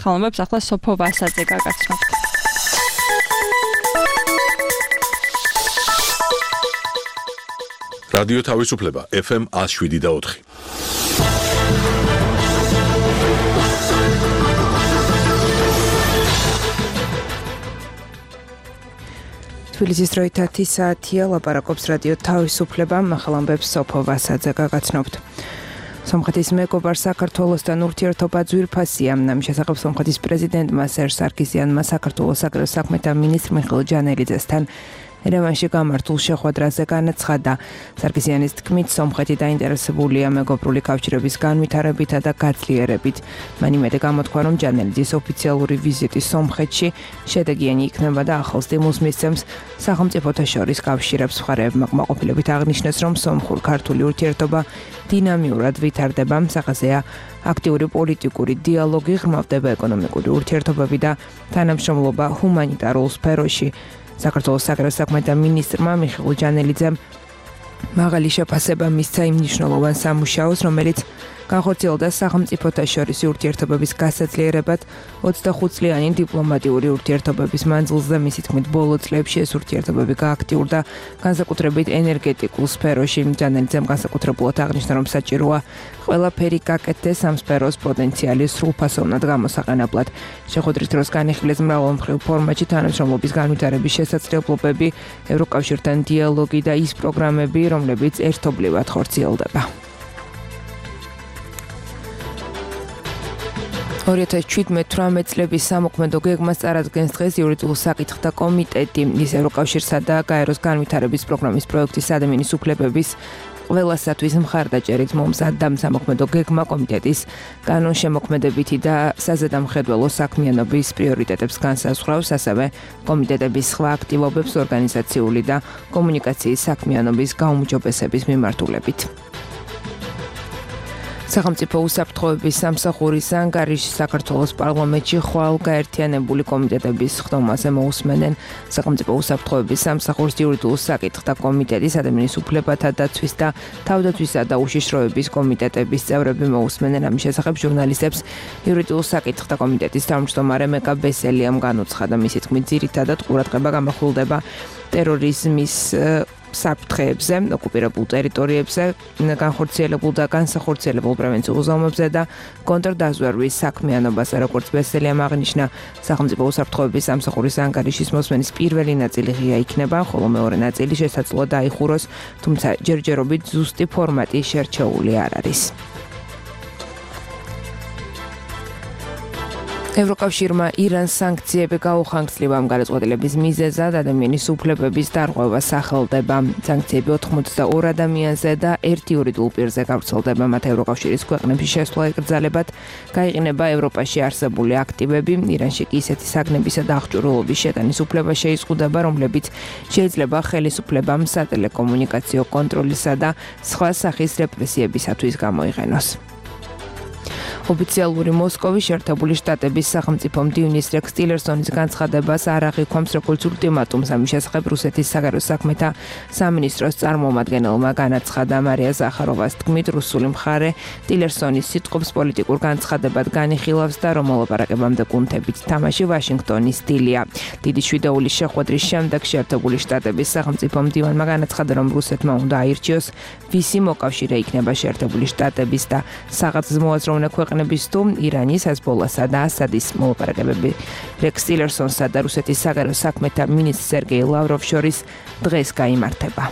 ხალხებს ახლა სოფო ვასაძე გაგაცნობთ. რადიო თავისუფლება FM 107.4. თბილისის დროით 10 საათია, ლაპარაკობს რადიო თავისუფლება, ახალამბებს სოფო ვასაძე გაგაცნობთ. სომხეთის მეგობარ საქართველოსთან ურთიერთობა ძვირფასია. ამის შესახებ სომხეთის პრეზიდენტმა სერჟ სარქისიანმა საქართველოს საგარეო საქმეთა მინისტრ მიხეილ ჯანელიძესთან ერევანში გამართულ შეხვედრაზე განაცხადა. სარქისიანის თქმით, სომხეთი დაინტერესებულია მეგობრული კავშირების განვითარებითა და გაძლიერებით. მან იმედი გამოთქვა, რომ ჯანელიძის ოფიციალური ვიზიტი სომხეთში შედეგიანი იქნება და ახალ სტიმულს მისცემს სახელმწიფოთა შორის კავშირებს. მხარეებმა კმაყოფილებით აღნიშნეს, რომ სომხურ-ქართული ურთიერთობა დინამიურად ვითარდება. სახაზეა აქტიური პოლიტიკური დიალოგი, ღრმავდება ეკონომიკური ურთიერთობები და თანამშრომლობა ჰუმანიტარულ სფეროში. საქართველოს საგარეო საქმეთა მინისტრმა მიხეილ ჯანელიძემ მაღალი შეფასება მისცა იმ მნიშვნელოვან სამუშაოს, რომელიც განხორციელდა სახელმწიფოთა შორის ურთიერთობების გასაძლიერებად 25 წლიანი დიპლომატიური ურთიერთობების მანძილზე. მისი თქმით, ბოლო წლებში ეს ურთიერთობები გააქტიურდა განსაკუთრებით ენერგეტიკულ სფეროში. ჯანელიძემ განსაკუთრებულად აღნიშნა, რომ საჭიროა ყველაფერი გაკეთდეს ამ სფეროს პოტენციალი სრულფასოვნად გამოსაყენებლად. შეხვედრის დროს განიხილეს მრავალმხრივ ფორმატში თანამშრომლობის განვითარების შესაძლებლობები, ევროკავშირთან დიალოგი და ის პროგრამები, რომლებიც ერთობლივად ხორციელდება. 2017-18 წლების სამოქმედო გეგმას წარადგენს დღეს იურიდიულ საკითხთა კომიტეტი. ის ევროკავშირსა და გაეროს განვითარების პროგრამის პროექტის ადამიანის უფლებების ყველასათვის მხარდაჭერით მომზადდა. სამოქმედო გეგმა კომიტეტის კანონშემოქმედებითი და საზედამხედველო საქმიანობის პრიორიტეტებს განსაზღვრავს, ასევე კომიტეტების სხვა აქტივობებს ორგანიზაციული და კომუნიკაციის საქმიანობის გაუმჯობესების მიმართულებით. სახელმწიფო უსაფრთხოების სამსახურის ანგარიში საქართველოს პარლამენტში ხვალ გაერთიანებული კომიტეტების ხდომაზე მოусმენენ. სახელმწიფო უსაფრთხოების სამსახურის იურიდიულ საკითხთა კომიტეტის ადამიანის უფლებათა დაცვის და თავდაცვისა და უშიშროების კომიტეტების წევრები მოусმენენ. ამის შესახებ ჟურნალისტებს იურიდიულ საკითხთა კომიტეტის თავმჯდომარე მეკა ბესელიამ განუცხადა. მისი თქმით, ძირითადად ყურადღება გამახვილდება ტერორიზმის საფრთხეებზე, ოკუპირებულ ტერიტორიებზე, განხორციელებულ და განსახორციელებულ პრევენციულ ზომებზე და კონტრდაზვერვის საქმიანობაზე. როგორც ბესელიამ აღნიშნა, სახელმწიფო უსაფრთხოების სამსახურის ანგარიშის მოსმენის პირველი ნაწილი ღია იქნება, ხოლო მეორე ნაწილი შესაძლოა დაიხუროს, თუმცა ჯერჯერობით ზუსტი ფორმატი შერჩეული არ არის. ევროკავშირმა ირანს სანქციები გაუხანგრძლива. ამ გადაწყვეტილების მიზეზად ადამიანის უფლებების დარღვევა სახელდება. სანქციები 82 ადამიანზე და ერთ იურიდიულ პირზე გავრცელდება. მათ ევროკავშირის ქვეყნებში შესვლა ეკრძალებათ. გაიყინება ევროპაში არსებული აქტივები. ირანში კი ისეთი საგნებისა და აღჭურვილობის შეტანის უფლება შეიზღუდება, რომლებიც შეიძლება ხელისუფლებამ სატელეკომუნიკაციო კონტროლისა და სხვა სახის რეპრესიებისათვის გამოიყენოს. ოფიციალური მოსკოვის შეერთებული შტატების სახელმწიფო მდივნის რექს ტილერსონის განცხადებას არ აღიქვამს როგორც ულტიმატუმს. ამის შესახებ რუსეთის საგარეო საქმეთა სამინისტროს წარმომადგენელმა განაცხადა. მარია ზახაროვას თქმით, რუსული მხარე ტილერსონის სიტყვებს პოლიტიკურ განცხადებად განიხილავს და რომ მოლაპარაკებამდე კუნთებით თამაში ვაშინგტონის სტილია. დიდი შვიდეულის შეხვედრის შემდეგ შეერთებული შტატების სახელმწიფო მდივანმა განაცხადა, რომ რუსეთმა უნდა აირჩიოს, ვისი მოკავშირე იქნება შეერთებული შტატების და საგაზმოაზროვნე ქვეყნების თუ ირანის, ჰეზბოლასა და ასადის მოლაპარაკებები. რექს ტილერსონსა და რუსეთის საგარეო საქმეთა მინისტრ სერგეი ლავროვს შორის დღეს გაიმართება.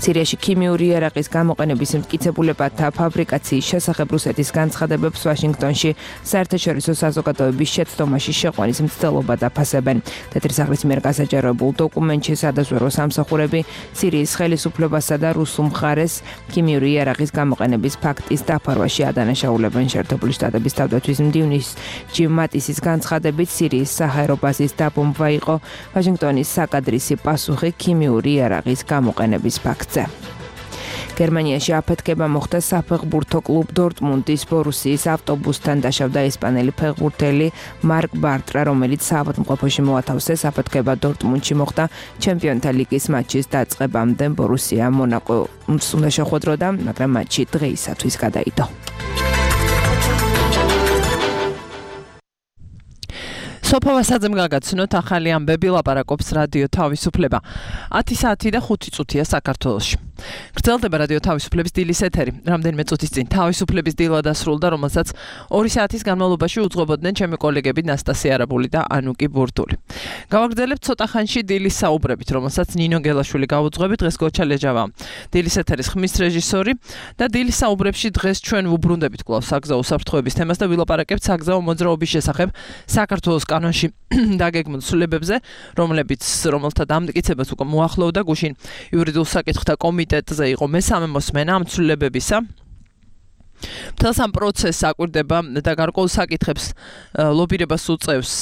სირიაში ქიმიური იარაღის გამოყენების მტკიცებულებათა ფაბრიკაციის შესახებ რუსეთის განცხადებებს ვაშინგტონში საერთაშორისო საზოგადოების შეცდომაში შეყვანის მცდელობა დაფასებენ. თეთრი სახლის მიერ გასაჯაროებულ დოკუმენტში სადაზვერვო სამსახურები სირიის ხელისუფლებასა და რუსულ მხარეს ქიმიური იარაღის გამოყენების ფაქტის დაფარვაში ადანაშაულებენ. შეერთებული შტატების თავდაცვის მდივნის ჯიმ მატისის განცხადებით სირიის საჰაერო ბაზის დაბომბვა იყო ვაშინგტონის საკადრისი პასუხი ქიმიური იარაღის გამოყენების ფაქტზე. გერმანიაში აფეთქება მოხდა საფეხბურთო კლუბ დორტმუნდის ბორუსიის ავტობუსთან. დაშავდა ესპანელი ფეხბურთელი მარკ ბარტრა, რომელიც საავადმყოფოში მოათავსეს. აფეთქება დორტმუნდში მოხდა ჩემპიონთა ლიგის მატჩის დაწყებამდე. ბორუსია მონაკოს უნდა შეხვედროდა, მაგრამ მატჩი დღეისათვის გადაიდო. სოფავასაძემ გაგაცნოთ ახალი ამბები ლაპარაკობს რადიო თავისუფლება 10 საათი და 5 წუთია საქართველოში. გრძელდება რადიო თავისუფლების დილის ეთერი. რამდენიმე წუთის წინ თავისუფლების დილა დასრულდა, რომელსაც 2 საათის განმავლობაში უძღვებოდნენ ჩემი კოლეგები ნასტასია არაბული და ანუკი ბურდული. გავაგრძელებთ ცოტა ხანში დილის საუბრებით, რომელსაც ნინო გელაშვილი გაუძღვებით, დღეს გოჩა ლეჯავა. დილის ეთერის ხმის რეჟისორი და დილის საუბრებში დღეს ჩვენ ვუბრუნდებით კვლავ საგზაო უსაფრთხოების თემას და ვილაპარაკებთ საგზაო მოძრაობის შესახებ საქართველოს კანონში დაგეგმილ ცვლილებებზე, რომელთა დამტკიცებას უკვე მოახლოვდა გუშინ იურიდიულ საკითხთა კომიტეტზე იყო მესამე მოსმენა ამ ცვლილებებისა. მთელს ამ პროცესს აკვირდება და გარკვეულ საკითხებს ლობირებას უწევს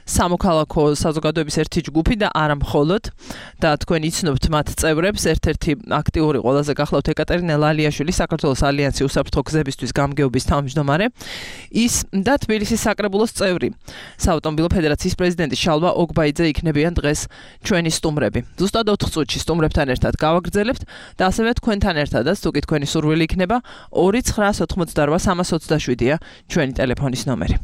სამოქალაქო საზოგადოების ერთი ჯგუფი და არა მხოლოდ და თქვენ იცნობთ მათ წევრებს, ერთ-ერთი აქტიური ყველაზე გახლავთ ეკატერინე ლალიაშვილი, საქართველოს ალიანსი უსაფრთხო გზებისთვის გამგეობის თავმჯდომარე, ის და თბილისის საკრებულოს წევრი, საავტომობილო ფედერაციის პრეზიდენტი შალვა ოგბაიძე იქნებიან დღეს ჩვენი სტუმრები. ზუსტად 4 წუთში სტუმრებთან ერთად გავაგრძელებთ და ასევე თქვენთან ერთადაც, თუ კი თქვენი სურვილი იქნება, 2988327-ია ჩვენი ტელეფონის ნომერი.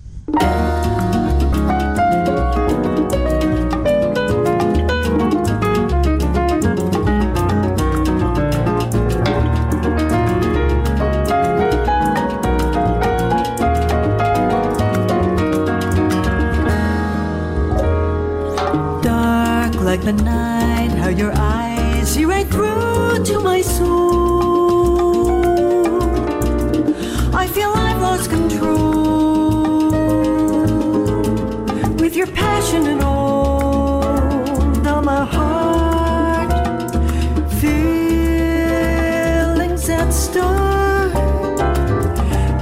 Like the night, how your eyes see right through to my soul. I feel I've lost control with your passion and all down my heart. Feelings that start.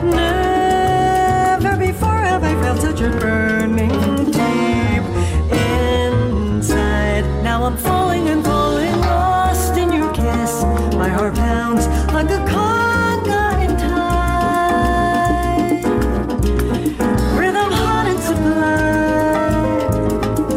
Never before have I felt such a burning deep inside. Now I'm falling and falling, lost in your kiss. My heart pounds like a conga in time. Rhythm hot and sublime,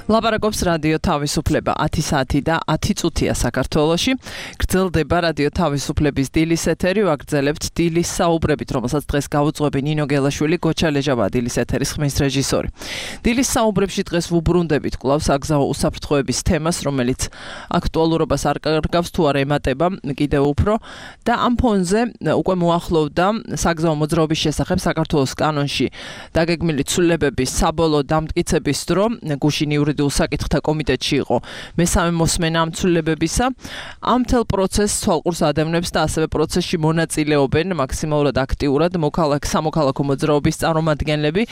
ლაპარაკობს რადიო თავისუფლება 10 საათი და 10 წუთია საქართველოში. გრძელდება რადიო თავისუფლების დილის ეთერი, ვაგრძელებთ დილის საუბრებით, რომელსაც დღეს გაუძღვები ნინო გელაშვილი, გოჩა ლეჟავა დილის ეთერის ხმის რეჟისორი. დილის საუბრებში დღეს ვუბრუნდებით კვლავ საგზაო უსაფრთხოების თემას, რომელიც აქტუალურობას არ კარგავს თუ არა ემატება კიდევ უფრო და ამ ფონზე უკვე მოახლოვდა საგზაო მოძრაობის შესახებ საქართველოს კანონში დაგეგმილი ცვლილებების საბოლოო დამტკიცების დრო. გუშინ იურიდიულ საკითხთა კომიტეტში იყო მესამე მოსმენა ამ ცვლილებებისა. ამ მთელ პროცესს თვალყურს ადევნებს და ასევე პროცესში მონაწილეობენ მაქსიმალურად აქტიურად სამოქალაქო მოძრაობის წარმომადგენლები.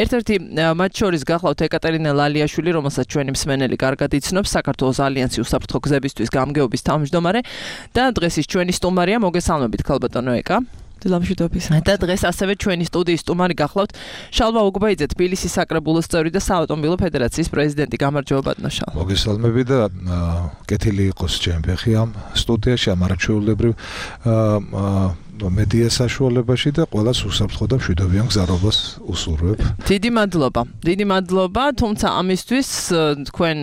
ერთ-ერთი მათ შორის გახლავთ ეკატერინე ლალიაშვილი, რომელსაც ჩვენი მსმენელი კარგად იცნობს, საქართველოს ალიანსი უსაფრთხო გზებისთვის გამგეობის თავმჯდომარე და დღეს ის ჩვენი სტუმარია. მოგესალმებით ქალბატონო ეკა. დილამშვიდობის. და დღეს ასევე ჩვენი სტუდიის სტუმარი გახლავთ შალვა უგბაიძე, თბილისის საკრებულოს წევრი და საავტომობილო ფედერაციის პრეზიდენტი. გამარჯობა ბატონო შალვა. მოგესალმები და კეთილი იყოს ჩემი ფეხი ამ სტუდიაში, ამ არაჩვეულებრივ მედია საშუალებაში და ყველას უსაფრთხო და მშვიდობიან გზარობას უსურვებ. დიდი მადლობა, თუმცა ამისთვის თქვენ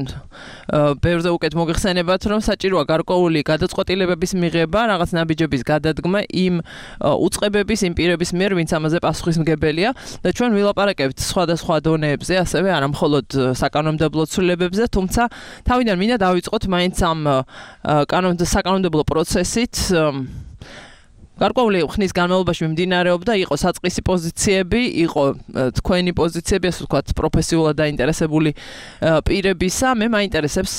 ბევრზე უკეთ მოგეხსენებათ, რომ საჭიროა გარკვეული გადაწყვეტილებების მიღება, რაღაც ნაბიჯების გადადგმა იმ უწყებების, იმ პირების მიერ, ვინც ამაზე პასუხისმგებელია და ჩვენ ვილაპარაკებთ სხვადასხვა დონეებზე, ასევე არა მხოლოდ საკანონმდებლო ცვლილებებზე, თუმცა თავიდან მინდა დავიწყოთ მაინც ამ საკანონმდებლო პროცესით. გარკვეული ხნის განმავლობაში მიმდინარეობდა, იყო საწყისი პოზიციები, იყო თქვენი პოზიციები, ასე ვთქვათ, პროფესიულად დაინტერესებული პირებისა. მე მაინტერესებს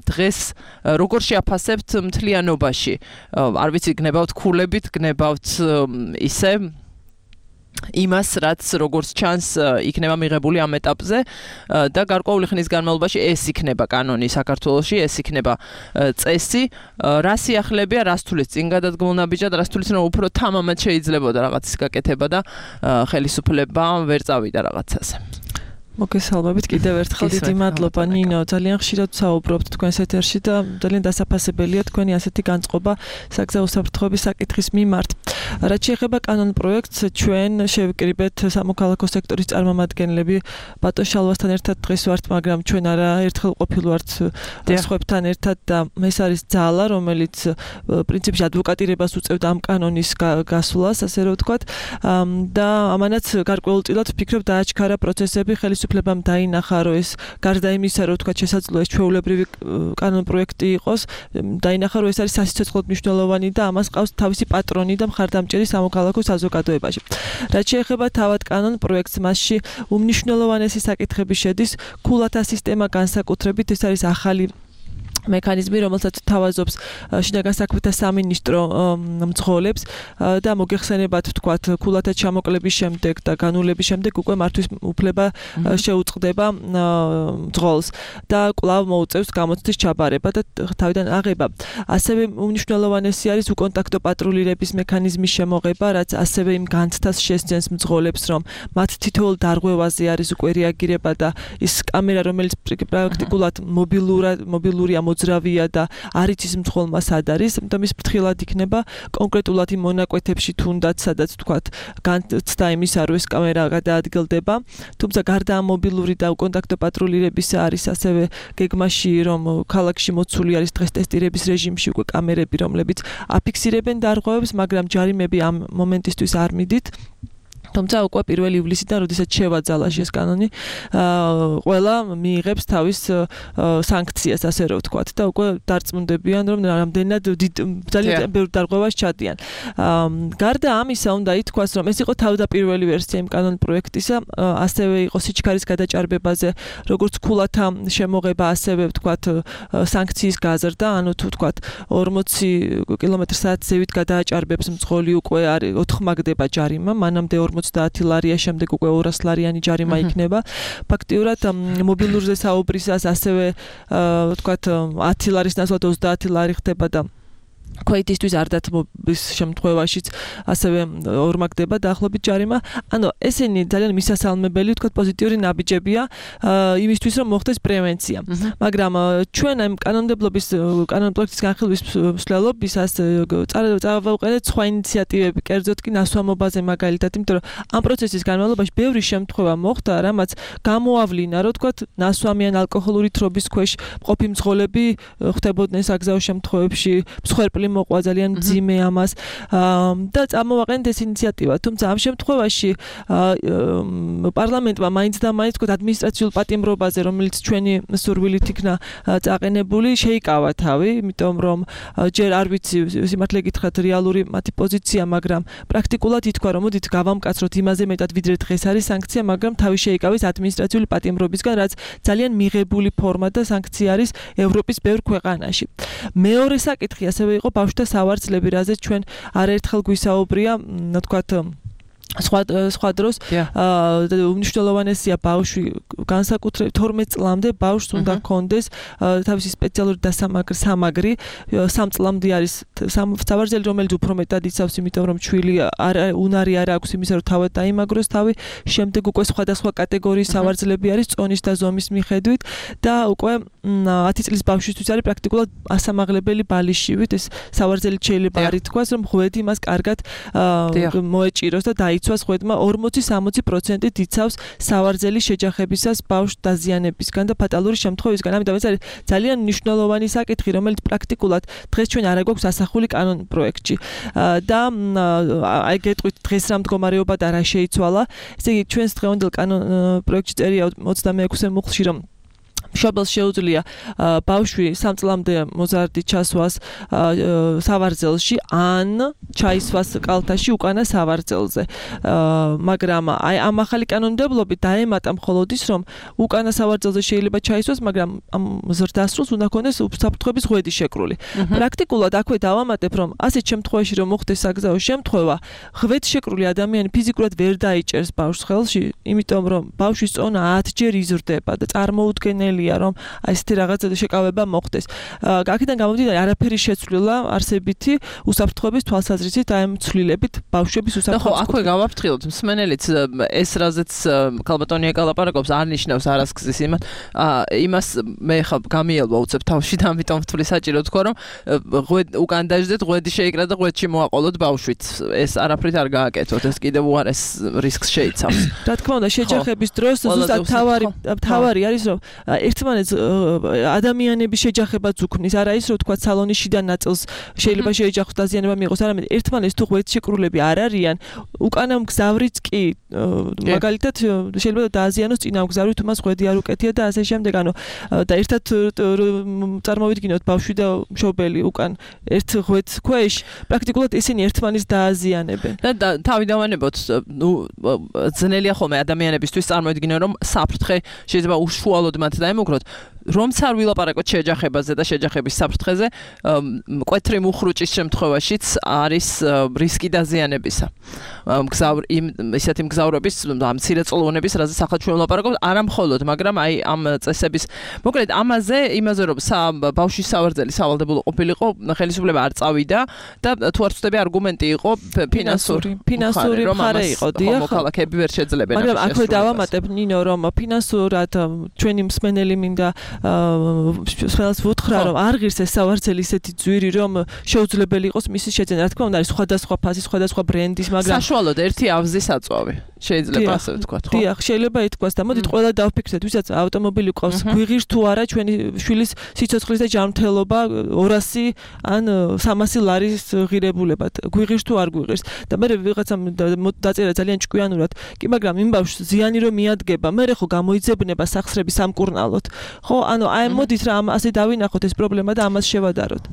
დღეს როგორ შეაფასებთ მთლიანობაში. არ ვიცი, გნებავთ ქულებით, გნებავთ ისე იმას, რაც როგორც ჩანს იქნება მიღებული ამ ეტაპზე და გარკვეული ხნის განმავლობაში ეს იქნება კანონი საქართველოში, ეს იქნება წესი. რა სიახლებია, რას თulis წინ გადადგმულ ნაბიჯად, რას თulis რომ უფრო თამამად შეიძლებოდა რაღაცის გაკეთება და ხელისუფლება ვერ წავიდა რაღაცაზე. მოგესალმებით კიდევ ერთხელ, დიდი მადლობა ნინო, ძალიან ხშირად საუბრობთ თქვენს ეთერში და ძალიან დასაფასებელია თქვენი ასეთი განწყობა საგზაო უსაფრთხოების საკითხის მიმართ. რაც შეეხება კანონ პროექტს, ჩვენ შევიკრიბეთ სამოქალაქო სექტორის წარმომადგენლები ბატონ შალვასთან ერთად დღეს ვართ, მაგრამ ჩვენ არა ერთხელ ყოფილვართ სხვებთან ერთად და ეს არის ძალა, რომელიც პრინციპში ადვოკატირებას უწევდა ამ კანონის გასვლას, ასე რომ ვთქვათ, და ამანაც გარკვეულწილად ვფიქრობ დააჩქარა პროცესები, ხელისუფლებამ დაინახა, რომ ეს გარდა იმისა, რომ ვთქვათ, შესაძლოა ეს ჩვეულებრივი კანონ პროექტი იყოს, დაინახა, რომ ეს არის სასიცოცხლოდ მნიშვნელოვანი და ამას ყავს თავისი პატრონი და მხარდამჭერი სამოქალაქო საზოგადოებაში. რაც შეეხება თავად კანონ პროექტს, მასში უმნიშვნელოვანესი საკითხები შედის ქულათა სისტემა განსაკუთრებით, ეს არის ახალი მექანიზმი, რომელსაც თავაზობს შინაგან საქმეთა სამინისტრო მძღოლებს და მოგეხსენებათ, ვთქვათ, ქულათა ჩამოკლების შემდეგ და განულების შემდეგ უკვე მართვის უფლება შეუწყდება მძღოლს და კვლავ მოუწევს გამოცდის ჩაბარება და თავიდან აღება. ასევე უმნიშვნელოვანესი არის უკონტაქტო პატრულირების მექანიზმის შემოღება, რაც ასევე იმ განცდას შესძენს მძღოლებს, რომ მათ თითოეულ დარღვევაზე არის უკვე რეაგირება და ის კამერა, რომელიც პრაქტიკულად მობილურია, მოძრავია და არ იცის მძღოლმა სად არის, და მის ფრთხილად იქნება კონკრეტულად იმ მონაკვეთებში თუნდაც, სადაც ვთქვათ, განცდა იმისა, რომ ეს კამერა გადაადგილდება. თუმცა გარდა ამ მობილური და უკონტაქტო პატრულირებისა არის ასევე გეგმაში, რომ ქალაქში მოცული არის დღეს ტესტირების რეჟიმში უკვე კამერები, რომლებიც აფიქსირებენ დარღვევებს, მაგრამ ჯარიმები ამ მომენტისთვის არ მიდით. თუმცა უკვე 1 ივლისიდან, როდესაც შევაძალაში ეს კანონი, ყველა მიიღებს თავის სანქციას, ასე რომ ვთქვათ, და უკვე დარწმუნდებიან, რომ რამდენად ძალიან ბევრ დარღვევას ჩადიან. გარდა ამისა, უნდა ითქვას, რომ ეს იყო თავდაპირველი ვერსია იმ კანონ პროექტისა, ასევე იყო სიჩქარის გადაჭარბებაზე, როგორც ქულათა შემოღება, ასევე ვთქვათ, სანქციის გაზრდა, ანუ თუ ვთქვათ 40 კმ/სთ ზევით გადააჭარბებს მძღოლი, უკვე ოთხმაგდება ჯარიმა, მანამდე 50 ლარია, შემდეგ უკვე 200 ლარიანი ჯარიმა იქნება. ფაქტიურად მობილურზე საუბრისას ასევე ვთქვათ 10 ლარის ნაცვლად 30 ლარი ხდება და ქვეითისთვის არ დათმობის შემთხვევაშიც ასევე ორმაგდება დაახლოებით ჯარიმა. ანუ ესენი ძალიან მისასალმებელი, თქვა პოზიტიური ნაბიჯებია იმისთვის, რომ მოხდეს პრევენცია. მაგრამ ჩვენ ამ კანონმდებლობის განხილვის მსვლელობისას წავავყენეთ სხვა ინიციატივები, კერძოდ კი ნასვამობაზე მაგალითად, იმიტომ რომ ამ პროცესის განმავლობაში ბევრი შემთხვევა მოხდა, რამაც გამოავლინა, რომ თქვა ნასვამი ან ალკოჰოლური თრობის ქვეშ მყოფი მძღოლები ხდებოდნენ საგზაო შემთხვევებში, მსხვერპლი მოყვა ძალიან მძიმე ამას და წამოვაყენეთ ეს ინიციატივა. თუმცა ამ შემთხვევაში პარლამენტმა მაინც და მაინც თქვა ადმინისტრაციულ პატიმრობაზე, რომელიც ჩვენი სურვილით იქნა წაყენებული, შეიკავა თავი, იმიტომ რომ ჯერ არ ვიცი სიმართლე გითხრათ რეალური მათი პოზიცია, მაგრამ პრაქტიკულად ითქვა, რომ მოდით გავამკაცროთ იმაზე მეტად ვიდრე დღეს არის სანქცია, მაგრამ თავი შეიკავეს ადმინისტრაციული პატიმრობისგან, რაც ძალიან მიღებული ფორმა და სანქცია არის ევროპის ბევრ ქვეყანაში. მეორე საკითხი ასევე იყო ბავშვთა სავარძლები, რაზეც ჩვენ არაერთხელ გვისაუბრია, თქვათ სხვა დროს უმნიშვნელოვანესია ბავშვი განსაკუთრებით 12 წლამდე ბავშვს უნდა ჰქონდეს თავისი სპეციალური სამაგრი 3 წლამდე არის სავარძლელი, რომელიც უფრო მეტად იცავს, იმიტომ რომ ჩვილი უნარი არ აქვს იმისა, რომ თავად დაიმაგროს თავი. შემდეგ უკვე სხვადასხვა კატეგორიის სავარძლები არის წონის და ზომის მიხედვით და უკვე 10 წლის ბავშვისთვის არის პრაქტიკულად ასამაღლებელი ბალიშივით. ეს სავარძლელი შეიძლება არ ითქვას, რომ ღვედი მას კარგად მოეჭიროს და იცვას ღვედმა 40-60% იცავს სავარძელი შეჯახებისას ბავშვს დაზიანებისგან და ფატალური შემთხვევისგან. ამიტომ ეს არის ძალიან მნიშვნელოვანი საკითხი, რომელიც პრაქტიკულად დღეს ჩვენ არ აგვაქვს ასახული კანონ პროექტში. და აი გეტყვით დღეს რა მდგომარეობა და რა შეიცვალა. ესე იგი ჩვენს დღევანდელ კანონ პროექტში წერია 26-ე მუხლში, რომ მშობელს შეუძლია ბავშვი 3 წლამდე მოზარდი ჩასვას სავარძელში ან ჩაისვას კალთაში უკანა სავარძელზე. მაგრამ აი ამ ახალი კანონმდებლობით დაემატა მხოლოდ ის, რომ უკანა სავარძელზე შეიძლება ჩაისვას, მაგრამ ამ ზრდასრულს უნდა ქონდეს საფრთხების ღვედი შეკრული. პრაქტიკულად აქვე დავამატებ, რომ ასეთ შემთხვევაში რომ მოხდეს საგზაო შემთხვევა, ღვედშეკრული ადამიანი ფიზიკურად ვერ დაიჭერს ბავშვს ხელში, იმიტომ რომ ბავშვის წონა 10 ჯერ იზრდება და წარმოუდგენელია, რომ აი ესეთი რაღაცა შეკავება მოხდეს. აქედან გამომდინარე, არაფერი შეცვლილა არსებითი უსაფრთხოების თვალსაზრისით აი ამ ცვლილებით ბავშვების უსაფრთხოებას. ხო, აქვე გავაფრთხილოთ მსმენელიც ეს რაზეც ქალბატონია გალაპარაკობს არ ნიშნავს არასქზის იმას მე ხა გამიელვა უცებ თავში და ამიტომ ვთვლი საჭირო თქვა რომ უკან დაждეთ ღვედი შეიკრა და ღვედში მოაყოლოთ ბავშვით. ეს არაფრით არ გააკეთოთ, ეს კიდევ უარეს რისკს შეიცავს. რა თქმა უნდა, შეჯახების დროს ზუსტად თავარი არის რომ ერთმანეთს ადამიანების შეჯახებაც უქმნის, არა ის რომ თქვა სალონის შიდა ნაწილს შეიძლება შეეჯახოს დაზიანება მიიღოს, არამედ ერთმანეთს თუ ღვედშეკრულები არ არიან, უკანა მგზავრიც კი მაგალითად შეიძლება დააზიანოს წინა მგზავრი თუ მას ღვედი არ უკეთია და ასე შემდეგ. ანუ და ერთად წარმოვიდგინოთ ბავშვი და მშობელი უკან ერთ ღვედს ქვეშ, პრაქტიკულად ისინი ერთმანეთს დააზიანებენ. და თავი დავანებოთ, ძნელია ხოლმე ადამიანებისთვის წარმოვიდგინონ, რომ საფრთხე შეიძლება უშუალოდ მათ დაემუქროთ. რომც არ ვილაპარაკოთ შეჯახებაზე და შეჯახების საფრთხეზე, მკვეთრი მუხრუჭის შემთხვევაშიც არის რისკი დაზიანებისა. ისეთი მგზავრების, მცირეწლოვანების, რაზეც ახლა ჩვენ ვილაპარაკობთ, არა მხოლოდ, მაგრამ აი ამ წესების, მოკლედ იმაზე რომ ბავშვის სავარძელი სავალდებულო ყოფილიყო, ხელისუფლება არ წავიდა და თუ არ ვწდები არგუმენტი იყო ფინანსური მხარე იყო, დიახ. მოქალაქეები ვერ შეძლებენ. მაგრამ აქვე დავამატებ ნინო, რომ ფინანსურად ჩვენი მსმენელი მინდა სპეციალს ვუთხრა, რომ არ ღირს ეს სავარძელი ისეთი ძვირი, რომ შეუძლებელი იყოს მისი შეძენა. რა თქმა უნდა, არის სხვადასხვა ფასის, სხვადასხვა ბრენდის, მაგრამ საშუალოდ ერთი ავზის აწვავი შეიძლება ასე ვთქვათ, ხო? დიახ, შეიძლება ითქვას და მოდით ყველა დავფიქრდეთ, ვისაც ავტომობილი ყავს, გვიღირს თუ არა ჩვენი შვილის სიცოცხლის და ჯანმრთელობა 200 ან 300 ლარის ღირებულებად. გვიღირს თუ არ გვიღირს. და მე ვიღაცამ დაწერა ძალიან ჭკვიანურად, კი, მაგრამ იმ ბავშვს ზიანი რომ მიადგება, მე ხო გამოიძებნება სახსრები სამკურნალოდ. ხო, ანუ აი მოდით რა ასე დავინახოთ ეს პრობლემა და ამას შევადაროთ.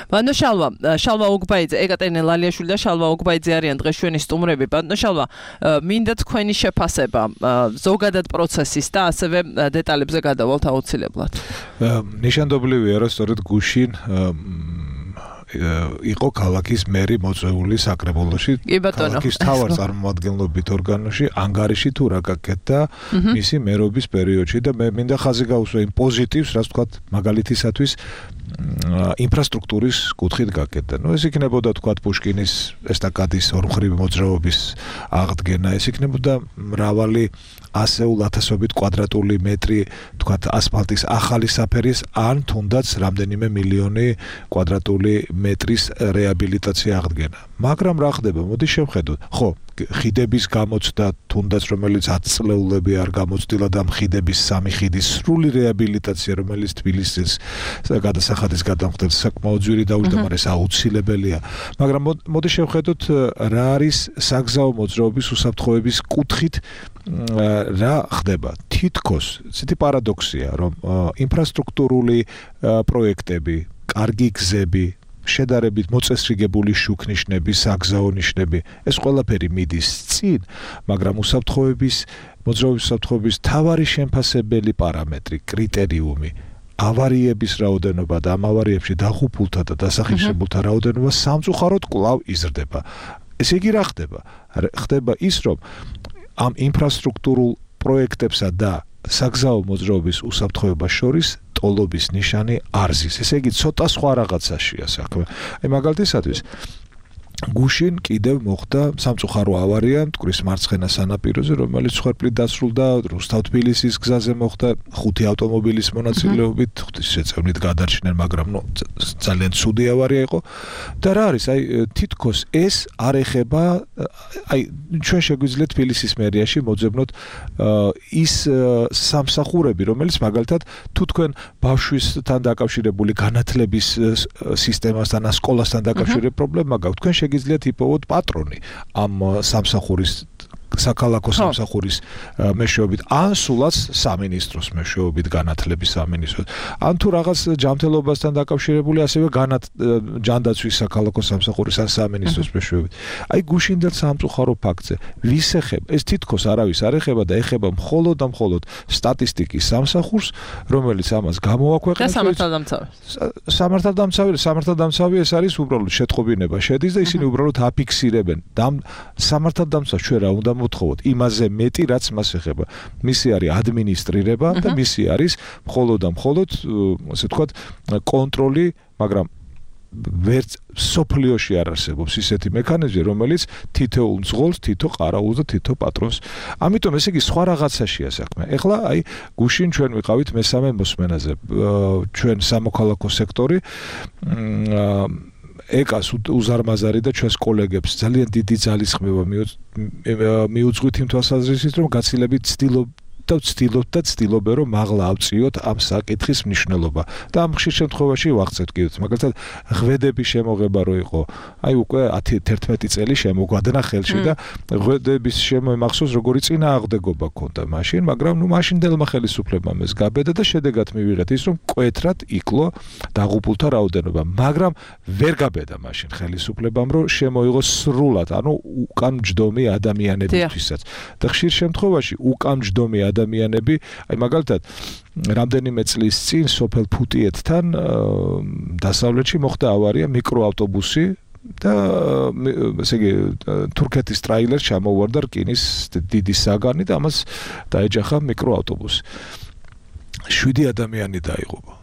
ბატონო შალვა ოგბაიძე, ეკატერინე ლალიაშვილი და შალვა ოგბაიძე არიან დღეს ჩვენი სტუმრები. ბატონო შალვა, მინდა თქვენი შეფასება ზოგადად პროცესის და ასევე დეტალებზე გადავალთ აუცილებლად. ნიშანდობლივია, რომ სწორედ გუშინ იყო ქალაქის მერი მოწვეული საკრებულოში. ქალაქის თავარ წარმომადგენლობით ორგანოში ანგარიში თუ რა გაკეთდა მისი მერობის პერიოდში და მე მინდა ხაზი გაუსვა იმ პოზიტივს, რაც თქვა მაგალითისათვის ინფრასტრუქტურის კუთხით გაკეთდა. ეს იქნებოდა თქვა პუშკინის ესტაკადის ორმხრივი მოძრაობის აღდგენა, ეს იქნებოდა მრავალი ასეულ ათასობით კვადრატული მეტრი თქვა ასფალტის ახალი საფერის ან თუნდაც რამდენიმე მილიონი კვადრატული მეტრის რეაბილიტაცია აღდგენა. მაგრამ რა ხდება? მოდი შევხედოთ. ხო, ხიდების გამოცდა თუნდაც რომელიც 10 წლეულები არ გამოცდილა და ხიდების 3 ხიდის სრული რეაბილიტაცია რომელიც თბილისის გადასახადის გადამხდელს საკმაოდ ძვირი დაუჯდომარეს აუცილებელია. მაგრამ მოდი შევხედოთ რა არის საგზაო მოძრაობის უსაფრთხოების კუთხით რა ხდება. თითქოს ცეთი პარადოქსია, რომ ინფრასტრუქტურული პროექტები, კარგი გზები, შედარებით მოწესრიგებული შუქნიშნები, საგზაო ნიშნები, ეს ყველაფერი მიდის წინ, მაგრამ უსაფრთხოების მოძრაობის უსაფრთხოების მთავარი შემფასებელი პარამეტრი, კრიტერიუმი, ავარიების რაოდენობა და ამ ავარიებში დაღუპულთა და დასახლებულთა რაოდენობა სამწუხაროდ კვლავ იზრდება. ესე იგი რა ხდება? ხდება ის, რომ ამ ინფრასტრუქტურულ პროექტებსა და საგზაო მოძრაობის უსაფრთხოებას შორის ტოლობის ნიშანი არ ზის. ესე იგი ცოტა სხვა რაღაცაშია საქმე. აი მაგალითისათვის გუშინ კიდევ მოხდა სამწუხარო ავარია მტკვრის მარცხენა სანაპიროზე, რომელიც ხერხლით დასრულდა რუსთავ-თბილისის გზაზე მოხდა 5 ავტომობილის მონაწილეობით, ღვთისმშეწევნით გადარჩნენ, მაგრამ ძალიან ცუდი ავარია იყო. და რა არის? აი თითქოს ეს არ ეხება, აი ჩვენ შეგვიძლია თბილისის მერიაში მოძებნოთ ის სამსახურები, რომელიც მაგალითად თუ თქვენ ბავშვისთან დაკავშირებული განათლების სისტემასთან, სკოლასთან დაკავშირებული პრობლემა გაქვთ, თქვენ შეგიძლიათ იპოვოთ პატრონი ამ სამსახურის საქალაქო სამსახურის მეშვეობით ან სულაც სამინისტროს მეშვეობით განათლების სამინისტროს ან თუ რაღაც ჯანმრთელობასთან დაკავშირებული ასევე ჯანდაცვის საქალაქო სამსახურის ან სამინისტროს მეშვეობით. აი გუშინდელ სამწუხარო ფაქტზე ვის ეხება? ეს თითქოს არავის არ ეხება და ეხება მხოლოდ და მხოლოდ სტატისტიკის სამსახურს, რომელიც ამას გამოაქვეყნებს. სამართალდამცავი ეს არის უბრალოდ შეტყობინება შედის და ისინი უბრალოდ აფიქსირებენ. სამართალდამცავ ჩვენ რა უნდა მოთხოვოთ იმაზე მეტი რაც მას ეხება. მისი არის ადმინისტრირება და მისი არის მხოლოდ და მხოლოდ ასე ვთქვათ კონტროლი, მაგრამ ვერც სოფლიოში არ არსებობს ისეთი მექანიზმი, რომელიც თითოეულ მძღოლს, თითო ყარაულს და თითო პატრონს. ამიტომ ესე იგი სხვა რაღაცაშია საქმე. ეხლა აი გუშინ ჩვენ ვიყავით მესამე მოსმენაზე. ჩვენ სამოქალაქო სექტორი ეკას უზარმაზარი და ჩვენს კოლეგებს ძალიან დიდი ძალისხმევა მიუძღვით იმ თვალსაზრისით, რომ გაცილებით ცდილობენ, რომ მაღლა ავწიოთ ამ საკითხის მნიშვნელობა და ამ ხშირ შემთხვევაში ვახცევთ კიდევ. მაგალითად, ღვედების შემოღება რო იყო, აი უკვე 10-11 წელი შემოგვადნა ხელში და ღვედების შემოემახსოვს, როგორი წინააღმდეგობა ქონდა მაშინ, მაგრამ მაშინდელმა ხელისუფლებამ ეს გაბედა და შედეგად მივიღეთ ის, რომ მკვეთრად იკლო დაღუპულთა რაოდენობა, მაგრამ ვერ გაბედა მაშინ ხელისუფლებამ, რომ შემოიღოს სრულად, ანუ უკანმჯდომი ადამიანებისთვისაც. და ხშირ შემთხვევაში უკანმჯდომი ადამიანები, აი მაგალითად, რამდენიმე წლის წინ სოფელ ფუტიეთთან დასავლეთში მოხდა ავარია, მიკროავტობუსი და ესე იგი თურქეთის ტრაილერს ჩამოუვარდა რკინის დიდი საგანი და ამას დაეჯახა მიკროავტობუსი. 7 ადამიანი დაიღუპა.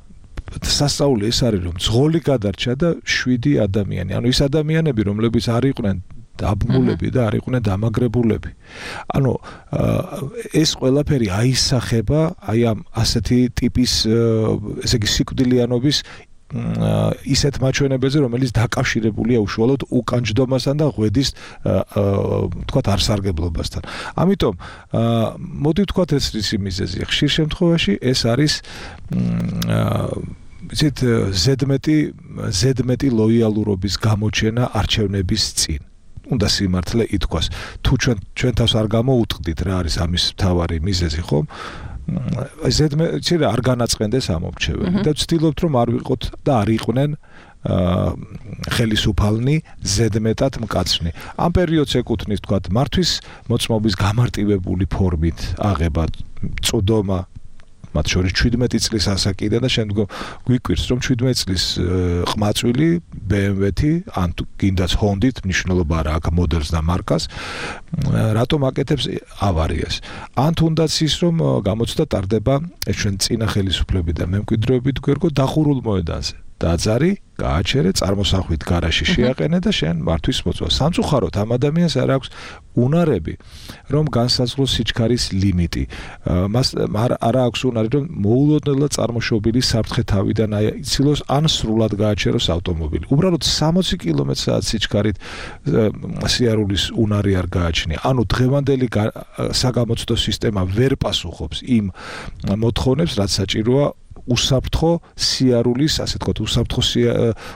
სასწაული ეს არის, რომ მძღოლი გადარჩა და 7 ადამიანი. ანუ ის ადამიანები, რომლებიც არ იყვნენ დაბმულები და არ იყვნენ დამაგრებულები. ანუ ეს ყველაფერი აისახება აი ამ ასეთი ტიპის ესე იგი სიკვდილიანობის ისეთ მაჩვენებელზე, რომელიც დაკავშირებულია უშუალოდ უკანჯდომასთან და ღვედის თქვათ არსარგებლობასთან. ამიტომ მოდი ვთქვათ ეს ისი მიზეზია. ხშირ შემთხვევაში ეს არის ისეთ ზედმეტი ლოიალურობის გამოჩენა არჩევნების წინ. უნდა სიმართლე ითქვას. თუ ჩვენ თავს არ გამოუტყდით რა არის ამის მთავარი მიზეზი, ხომ? ზედმეტი არ განაწყენდეს ამორჩეველი და ვცდილობთ რომ არ ვიყოთ და არ იყვნენ ხელისუფალნი ზედმეტად მკაცნი. ამ პერიოდს ეკუთვნის თქვათ მართვის მოწმობის გამარტივებული ფორმით აღება, წვდომა მათ შორის 17 წლის ასაკიდან და შემდგომ გვიკვირს რომ 17 წლის ყმაწვილი BMW-თი ან გინდაც Honda-ით მნიშვნელობა არა აქვს მოდელს და მარკას რატომ აკეთებს ავარიას ან თუნდაც ის რომ გამოცდა ტარდება ჩვენ წინა ხელისუფლებით და მემკვიდრეობით გვერგო დახურულ მოედანზე დაძარი გააჩერე წარმოსახვით გარაში შეაყენე და შენ მართვის მოწვა სამწუხაროდ ამ ადამიანს არ აქვს უნარები რომ განსაზღვროს სიჩქარის ლიმიტი მას არ აქვს უნარი რომ მოულოდნელად წარმოშობილი საფრთხე თავიდან აიცილოს ან სრულად გააჩეროს ავტომობილი უბრალოდ 60 კმ/სთ სიჩქარით სიარულის უნარი არ გააჩნია ანუ დღევანდელი საგამოცდო სისტემა ვერ პასუხობს იმ მოთხოვნებს რაც საჭიროა უსაფრთხო სიარულის, ასე ვთქვათ,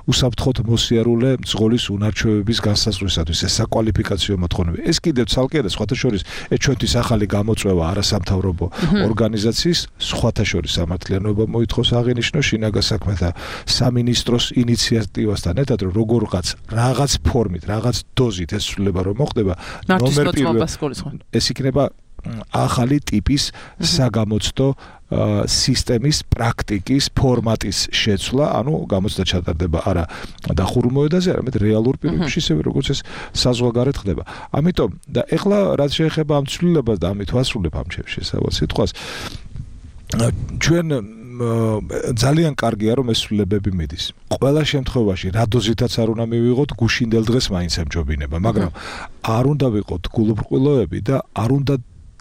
უსაფრთხოდ მოსიარულე მძღოლის უნარჩვევების განსაზღვრისათვის ეს საკვალიფიკაციო მოთხოვნები. ეს კიდევ ცალკე და სხვათა შორის ჩვენთვის ახალი გამოწვევა არასამთავრობო ორგანიზაციის სხვათა შორის სამართლიანობა მოითხოვს აღინიშნოს შინაგან საქმეთა სამინისტროს ინიციატივასთან ერთად რომ რაღაც ფორმით, რაღაც დოზით ეს ცვლილება რომ მოხდება ნომერ პირველ ეს იქნება ახალი ტიპის საგამოცდო სისტემის პრაქტიკის ფორმატის შეცვლა, ანუ გამოცდა ჩატარდება არა დახურულ მოედანზე, არამედ რეალურ პირობებში, ისევე როგორც ეს საზღვარგარეთ ხდება. ამიტომ და ეხლა რაც შეეხება ამ ცვლილებას და ამით ვასრულებ ამ შესავალ სიტყვას, ჩვენ ძალიან კარგია რომ ეს ცვლილებები მიდის. ყველა შემთხვევაში რა დოზითაც არ უნდა მივიღოთ, გუშინდელ დღეს მაინც ემჯობინება, მაგრამ არ უნდა ვიყოთ გულუბრყვილოები და არ უნდა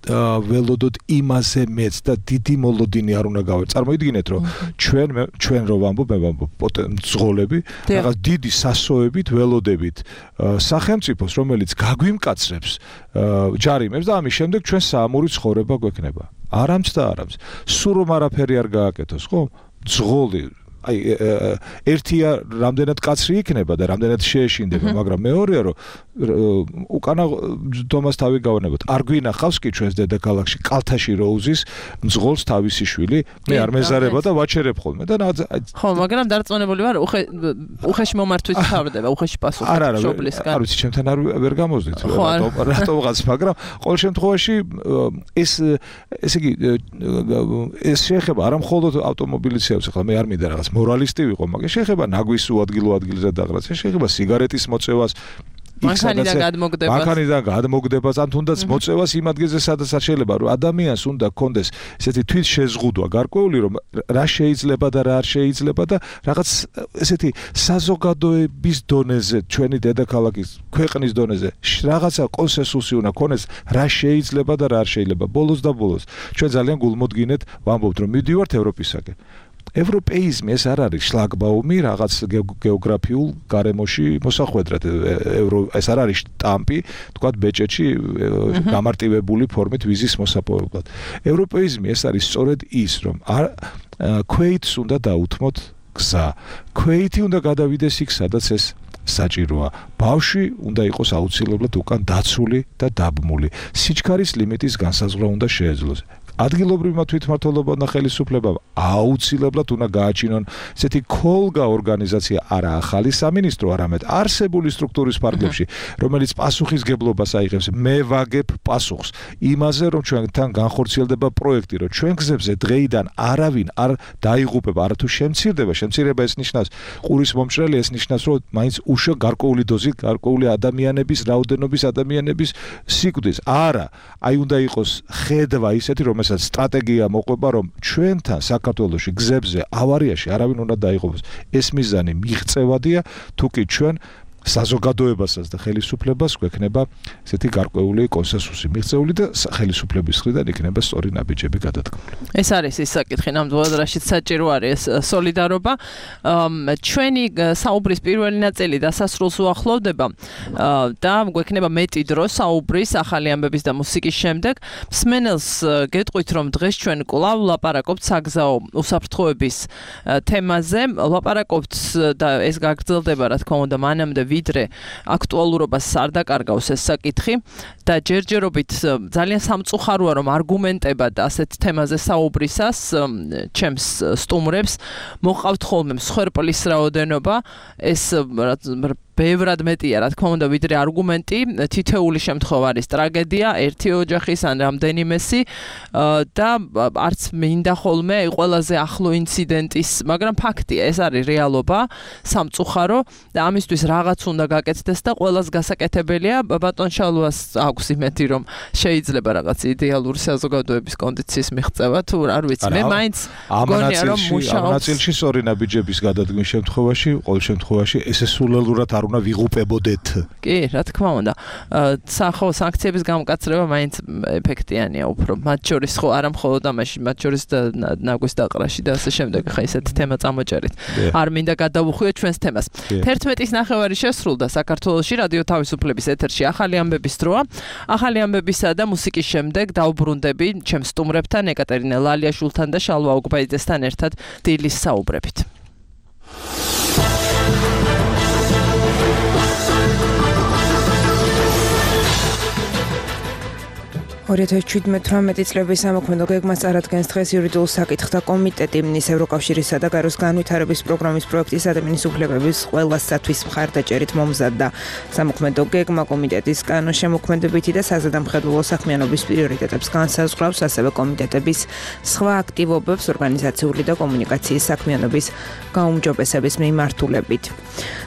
ველოდოთ იმაზე მეც და დიდი მოლოდინი არ უნდა გავერ. წარმოიდგინეთ რომ ჩვენ რო ვამბობ, მე ვამბობ მძღოლები, რაღაც დიდი სასოებით ველოდებით სახელმწიფოს, რომელიც გაგვიმკაცრებს ჯარიმებს და ამის შემდეგ ჩვენ საამური ცხოვრება გვექნება. არამც და არამც. სულ რომ არაფერი არ გააკეთოს, ხო? მძღოლი ერთია რამდენად კაცრი იქნება და რამდენად შეეშინდება, მაგრამ მეორეა რომ უკანა დომას თავი გავანებოთ. არ გვინახავს კი ჩვენს დედაქალაქში კალთაში რო უზის მძღოლს თავისი შვილი, მე არ მეზარება და ვაჩერებ ხოლმე და ხო, მაგრამ დარწმუნებული ვარ, უხეში მომართვის თავდება, უხეში პასუხი შობლისგან. არ ვიცი, ჩემთან ვერ გამოздით რატომღაც, მაგრამ ყოველ შემთხვევაში ესე იგი ეს შეეხება არა მხოლოდ ავტომობილისეებს, ახლა მე არ მინდა რაღაც მორალისტი ვიყო, მაგრამ შეეხება ნაგვის ადგილზე დაღრას, შეეხება სიგარეტის მოწევას, მანქანიდან გადმოგდებას, ან თუნდაც მოწევას იმ ადგილზე, სადაც არ შეიძლება, რომ ადამიანს უნდა კონდეს ესეთი თვით შეზღუდვა გარკვეული, რომ რა შეიძლება და რა არ შეიძლება და რაღაც ესეთი საზოგადოების დონეზე, ჩვენი დედაქალაქის ქვეყნის დონეზე რაღაცა კონსენსუსი უნდა ქონდეს, რა შეიძლება და რა არ შეიძლება. ბოლოს ჩვენ ძალიან გულმოდგინეთ ვამბობთ, რომ მივდივართ ევროპისაკენ. ევროპეიზმი ეს არ არის შლაგბაუმი რაღაც გეოგრაფიულ გარემოში მოსახვედრად ეს არ არის შტამპი თქვათ ბეჭედში გამარტივებული ფორმით ვიზის მოსაპოვებლად ევროპეიზმი ეს არის სწორედ ის რომ ქვეითს უნდა დაუთმოთ გზა ქვეითი უნდა გადავიდეს იქ სადაც ეს საჭიროა ბავშვი უნდა იყოს აუცილებლად უკან დაცული და დაბმული სიჩქარის ლიმიტის განსაზღვრა უნდა შეეძლოს ადგილობრივმა თვითმმართველობამ და ხელისუფლებამ აუცილებლად უნდა გააჩინონ ესეთი ქოლგა ორგანიზაცია არა ახალი სამინისტრო, არამედ არსებული სტრუქტურის ფარგლებში, რომელიც პასუხისგებლობას აიღებს. მე ვაგებ პასუხს იმაზე, რომ ჩვენთან განხორციელდება პროექტი, რომ ჩვენ გზებზე დღეიდან არავინ არ დაიღუპება, არათუ შემცირება ეს ნიშნავს ყურის მომჭრელი, ეს ნიშნავს, რომ მაინც უშო გარკვეული დოზით, გარკვეული ადამიანების რაოდენობის ადამიანების სიკვდილს. არა, აი უნდა იყოს ხედვა ისეთი, რომ სტრატეგია მოყვება რომ ჩვენთან საქართველოში გზებზე ავარიაში არავინ უნდა დაიღუპოს ეს მიზანი მიღწევადია თუკი ჩვენ საზოგადოებასაც და ხელისუფლებას გვექნება ესეთი გარკვეული კონსენსუსი მიღწეული და ხელისუფლების მხრიდან იქნება სწორი ნაბიჯები გადადგმული. ეს არის ის საკითხი ნამდვილად რაშიც საჭირო არის სოლიდარობა. ჩვენი საუბრის პირველი ნაწილი დასასრულს უახლოვდება და გვექნება მეტი დრო საუბრის ახალი ამბების და მუსიკის შემდეგ. მსმენელს გეტყვით რომ დღეს ჩვენ კვლავ ლაპარაკობთ საგზაო უსაფრთხოების თემაზე. ლაპარაკობთ და ეს გაგრძელდება რა თქმა უნდა მანამდე ვიდრე აქტუალურობას არ დაკარგავს ეს საკითხი და ჯერჯერობით ძალიან სამწუხაროა რომ არგუმენტებად ასეთ თემაზე საუბრისას ჩემს სტუმრებს მოყავთ ხოლმე მსხვერპლის რაოდენობა ეს ბევრად მეტია, რა თქმა უნდა, ვიდრე არგუმენტი, თითეული შემთხვევა არის ტრაგედია, ერთი ოჯახის ან რამდენიმესი და არც მინდა ხოლმე ყველაზე ახლო ინციდენტის, მაგრამ ფაქტია, ეს არის რეალობა, სამწუხარო და ამისთვის რაღაც უნდა გაკეთდეს და ყველას გასაკეთებელია. ბატონ შალვას აქვს იმედი, რომ შეიძლება რაღაც იდეალური საზოგადოების კონდიციის მიღწევა, თუ არ ვიცი, მე მაინც მგონია, რომ მუშაობს. ამ ნაწილში სწორი ნაბიჯების გადადგმის შემთხვევაში, ყოველ შემთხვევაში ესესულელურად არ უნდა ვიღუპებოდეთ. კი, რა თქმა უნდა. სახო სანქციების გამკაცრება მაინც ეფექტიანია უფრო. მათ შორის ხო არა მხოლოდ ამაში, მათ შორის და ნაგვის დაყრაში და ასე შემდეგ. ხა ისეთი თემა წამოჭერით. არ მინდა გადავუხვიოთ ჩვენს თემას. 11:09 შესრულდა საქართველოში რადიო თავისუფლების ეთერში ახალი ამბების დროა. ახალი ამბებისა და მუსიკის შემდეგ დავუბრუნდები ჩემს სტუმრებთან ეკატერინე ლალიაშვილთან და შალვა ოგბაიძესთან ერთად დილის საუბრებით. 2017 წლების სამოქმედო გეგმას წარადგენს დღეს იურიდიულ საკითხთა კომიტეტი მინის ევროკავშირისა და გაროს განვითარების პროგრამის პროექტის ადამიანის უფლებების ყველასათვის მხარდაჭერით მომზადდა. სამოქმედო გეგმა კომიტეტის კანონშემოქმედებითი და საზედამხედველო საქმიანობის პრიორიტეტებს განსაზღვრავს, ასევე კომიტეტების სხვა აქტივობებს ორგანიზაციული და კომუნიკაციის საქმიანობის გაუმჯობესების მიმართულებით.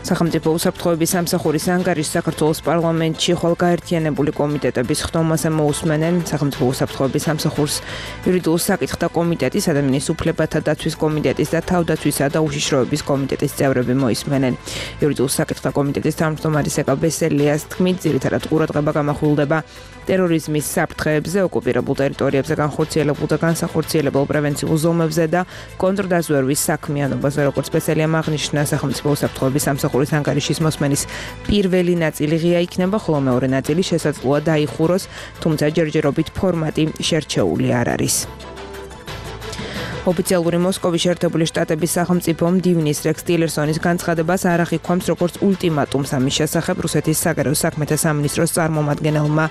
სახელმწიფო უსაფრთხოების სამსახურის ანგარიშს საქართველოს პარლამენტში ხვალგაერთიანებული კომიტეტების ხდომაზე მოусმენენ სახელმწიფო უსაფრთხოების სამსახურს იურიდიულ საკითხთა კომიტეტის, ადამიანის უფლებათა დაცვის კომიტეტის და თავდაცვისა და უშიშროების კომიტეტის წევრები მოისმენენ. იურიდიულ საკითხთა კომიტეტის თავმჯდომარის ეკა ბესელიას თქმით, ძირითადად ყურადღება გამახვილდება ტერორიზმის საფრთხეებზე, ოკუპირებულ ტერიტორიებზე განხორციელებულ და განსახორციელებელ პრევენციულ ზომებზე და კონტრდაზვერვის საქმიანობაზე, როგორც ბესელიამ აღნიშნა, სახელმწიფო უსაფრთხოების სამსახურის ანგარიშის მოსმენის პირველი ნაწილი ღია იქნება, ხოლო მეორე ნაწილი შესაძლოა დაიხუროს, თუმცა ჯერჯერობით ფორმატი შერჩეული არ არის. ოფიციალური მოსკოვის შეერთებული შტატების სახელმწიფო მდივნის რექს ტილერსონის განცხადებას არ აღიქვამს როგორც ულტიმატუმს ამის შესახებ რუსეთის საგარეო საქმეთა სამინისტროს წარმომადგენელმა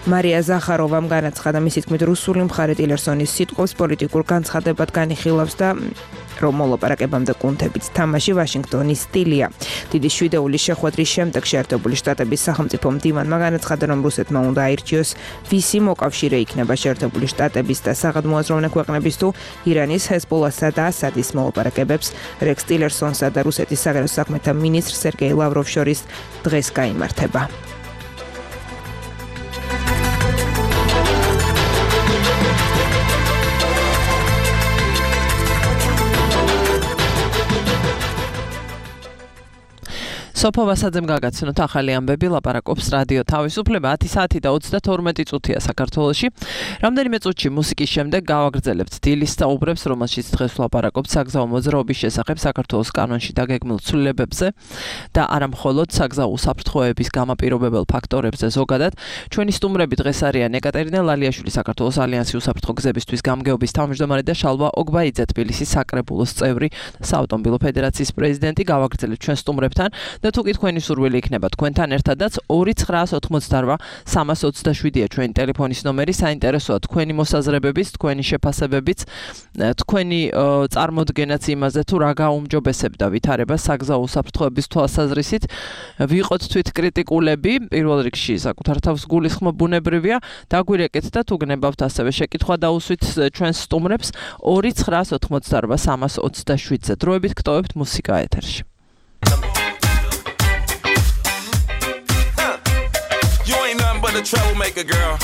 მარია ზახაროვამ განაცხადა, მისი თქმით, რუსული მხარე ტილერსონის სიტყვებს პოლიტიკურ განცხადებად განიხილავს და რომ მოლაპარაკებამდე კუნთებით თამაში ვაშინგტონის სტილია. დიდი შვიდეულის შეხვედრის შემდეგ შეერთებული შტატების სახელმწიფო მდივანმა განაცხადა, რომ რუსეთმა უნდა აირჩიოს ვისი მოკავშირე იქნება შეერთებული შტატების და საგადმოაზროვნე ქვეყნების თუ ირანის, ჰეზბოლასა და ასადის მოლაპარაკებებს რექს ტილერსონსა და რუსეთის საგარეო საქმეთა მინისტრ სერგეი ლავროვს შორის დღეს გაიმართება. სოფო ვასაძემ გაგაცნოთ ახალი ამბები, ლაპარაკობს რადიო თავისუფლება 10 საათი და 32 წუთია საქართველოში. რამდენიმე წუთში მუსიკის შემდეგ გავაგრძელებთ დილის საუბრებს, რომელშიც დღეს ვლაპარაკობთ საგზაო მოძრაობის შესახებ საქართველოს კანონში დაგეგმილ ცვლილებებზე და არა მხოლოდ საგზაო უსაფრთხოების გამაპირობებელ ფაქტორებზე ზოგადად. ჩვენი სტუმრები დღეს არიან ეკატერინე ლალიაშვილი, საქართველოს ალიანსი უსაფრთხო გზებისთვის გამგეობის თავმჯდომარე და შალვა ოგბაიძე, თბილისის საკრებულოს წევრი, საავტომობილო ფედერაციის პრეზიდენტი. გავაგრძელებთ ჩვენ სტუმრებთან და თუ კი თქვენი სურვილი იქნება თქვენთან ერთადაც 2988327-ია ჩვენი ტელეფონის ნომერი. საინტერესოა თქვენი მოსაზრებებიც, თქვენი შეფასებებიც, თქვენი წარმოდგენაც იმაზე, თუ რა გაუმჯობესებდა ვითარებას საგზაო უსაფრთხოების თვალსაზრისით. ვიყოთ თვითკრიტიკულები, პირველ რიგში საკუთარ თავს გულისხმობ ბუნებრივია. დაგვირეკეთ და თუ გნებავთ ასევე შეკითხვა დაუსვით ჩვენს სტუმრებს 2988327-ზე. დროებით გტოვებთ მუსიკა ეთერში. But a troublemaker, girl.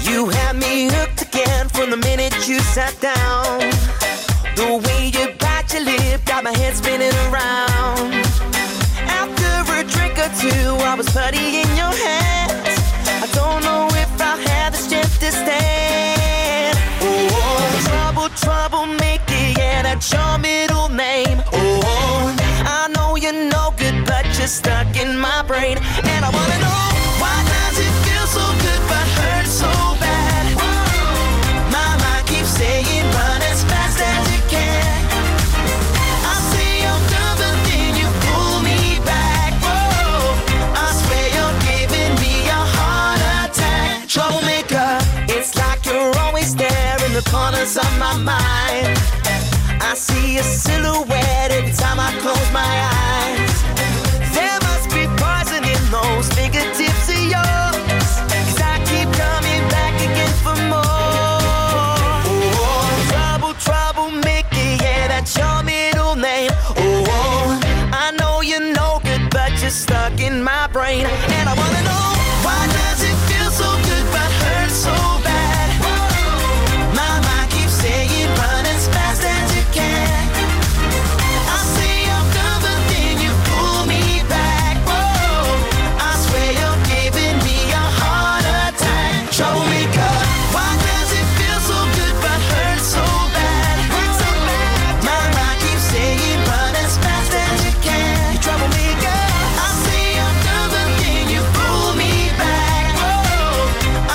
You had me hooked again from the minute you sat down. The way you bite your lip got my head spinning around. After a drink or two, I was putty in your hands. I don't know if I have the strength to stand. Oh, troublemaker, yeah, that's your middle name. Oh, I know you're no good, but you're stuck in my brain, and I wanna know. Why does it feel so good but hurt so bad? My mind keeps saying run as fast as you can. I say I'm done but then you pull me back. Whoa, I swear you're giving me a heart attack. Troublemaker, it's like you're always there in the corners of my mind. I see a silhouette every time I close my eyes. There those fingertips of yours, 'cause I keep coming back again for more. Oh, troublemaker, yeah, that's your middle name. Oh, I know you're no good, but you're stuck in my brain. And I wanna know, why does it feel so good but hurt so bad? My mind keeps saying run as fast as you can. I say I'm done, but then you pull me back. Whoa, I swear you're giving me a heart attack. Troublemaker, why does it feel so good but hurt so bad? My mind keeps saying run as fast as you can. You troublemaker, I say I'm done, but then you pull me back. Whoa,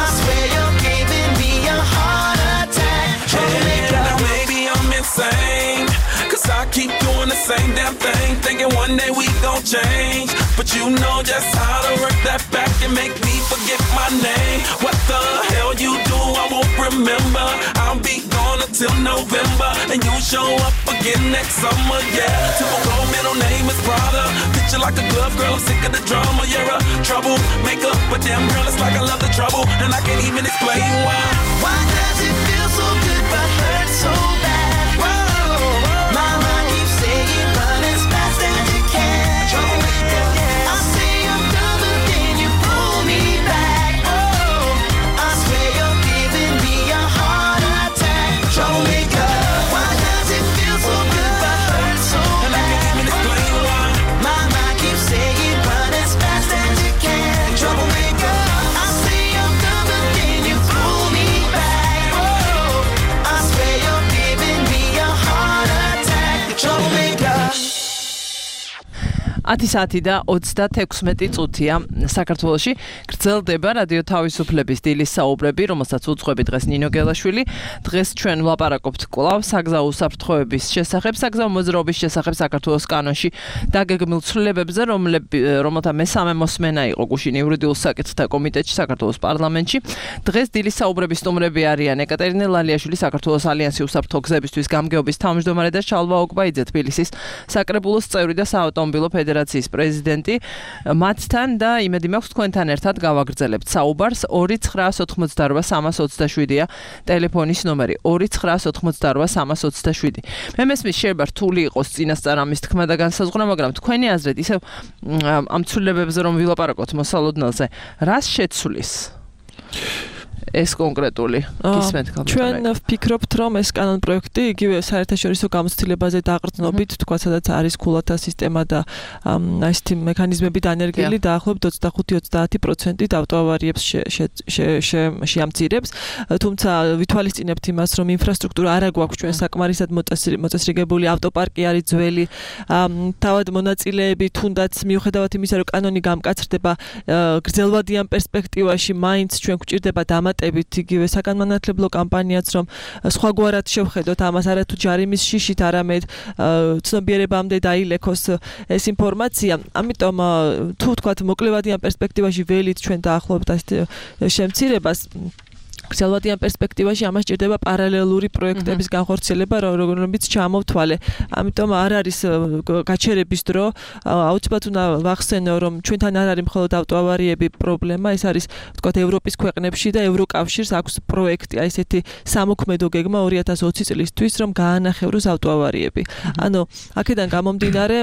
I swear you're giving me a heart attack. Troublemaker. Now maybe I'm insane, 'cause I keep doing the same damn thing, thinking one day we gon' change. But you know just how to work that back and make me forget my name. What the hell you do, I won't remember. I'll be gone until November, and you show up again next summer, yeah. Typical middle name is Prada. Picture like a glove, girl, I'm sick of the drama. You're a troublemaker, but damn girl, it's like I love the trouble, and I can't even explain why. Why does it feel so good but hurt so bad? Whoa, my mind keeps saying run as fast as you can. I say I'm done, but then you pull me back. Whoa, I swear you're giving me a heart attack. Troublemaker, why does it feel so good but hurt so And I can't even bad? explain why. My mind keeps saying run as fast as you can. Troublemaker, I say I'm done, but then you pull me back. Whoa, I swear you're giving me a heart attack. Troublemaker. 10 საათი და 36 წუთია საქართველოში. გრძელდება რადიო თავისუფლების დილის საუბრები, რომელსაც უძღვები დღეს ნინო გელაშვილი. დღეს ჩვენ ვლაპარაკობთ კვლავ საგზაო უსაფრთხოების შესახებ, საგზაო მოძრაობის შესახებ საქართველოს კანონში დაგეგმილ ცვლილებებზე, რომელთა მესამე მოსმენა იყო გუშინ იურიდიულ საკითხთა კომიტეტში საქართველოს პარლამენტში. დღეს დილის საუბრების სტუმრები არიან ეკატერინე ლალიაშვილი, საქართველოს ალიანსი უსაფრთხო გზებისთვის გამგეობის თავმჯდომარე და შალვა ოგბაიძე, თბილისის საკრებულოს წევრი და საავტომობილო ფედერაციის პრეზიდენტი. მათთან და იმედი მაქვს თქვენთან ერთად გავაგრძელებთ საუბარს. 2988327-ია ტელეფონის ნომერი. 2988327. მე მესმის შეიძლება რთული იყოს წინასწარ ამის თქმა და განსაზღვრა, მაგრამ თქვენი აზრით ისევ ამ ცვლილებებზე რომ ვილაპარაკოთ მოსალოდნელზე, რას შეცვლის ეს კონკრეტული გისმენთ კალბატონი? ჩვენ ვფიქრობთ, რომ ეს კანონ პროექტი იგივე საერთაშორისო გამოცდილებაზე დაყრდნობით, თქვა სადაც არის ქულათა სისტემა და ესეთი მექანიზმები დანერგილი, დაახლოებით 25-30% ავტოავარიებს შეამცირებს. თუმცა ვითვალისწინებთ იმას, რომ ინფრასტრუქტურა არა გვაქვს ჩვენ საკმარისად მოწესრიგებული, ავტოპარკი არის ძველი, თავად მონაწილეები თუნდაც მიუხედავად იმისა, რომ კანონი გამკაცრდება, გრძელვადიან პერსპექტივაში მაინც ჩვენ გვჭირდება დამატებით იგივე საკანმანათლებლო კამპანიაც, რომ სხვაგვარად შევხედოთ ამას, არა თუ ჯარიმის შიშით, არამედ ცნობიერებამდე დაილექოს ეს ინფორმაცია. ამიტომ თუ თქვათ მოკლევადიან პერსპექტივაში ველით ჩვენ დაახლოებით ასეთ შემცირებას, გრძელვადიან პერსპექტივაში ამას ჭირდება პარალელური პროექტების განხორციელება, რომლებიც ჩამოვთვალე. ამიტომ არ არის გაჩერების დრო. აუცილებლად უნდა ვახსენო, რომ ჩვენთან არ არის მხოლოდ ავტოავარიები პრობლემა, ეს არის თქვათ ევროპის ქვეყნებში და ევროკავშირს აქვს პროექტი, აი ესეთი სამოქმედო გეგმა 2020 წლისთვის, რომ გაანახევროს ავტოავარიები. ანუ აქედან გამომდინარე,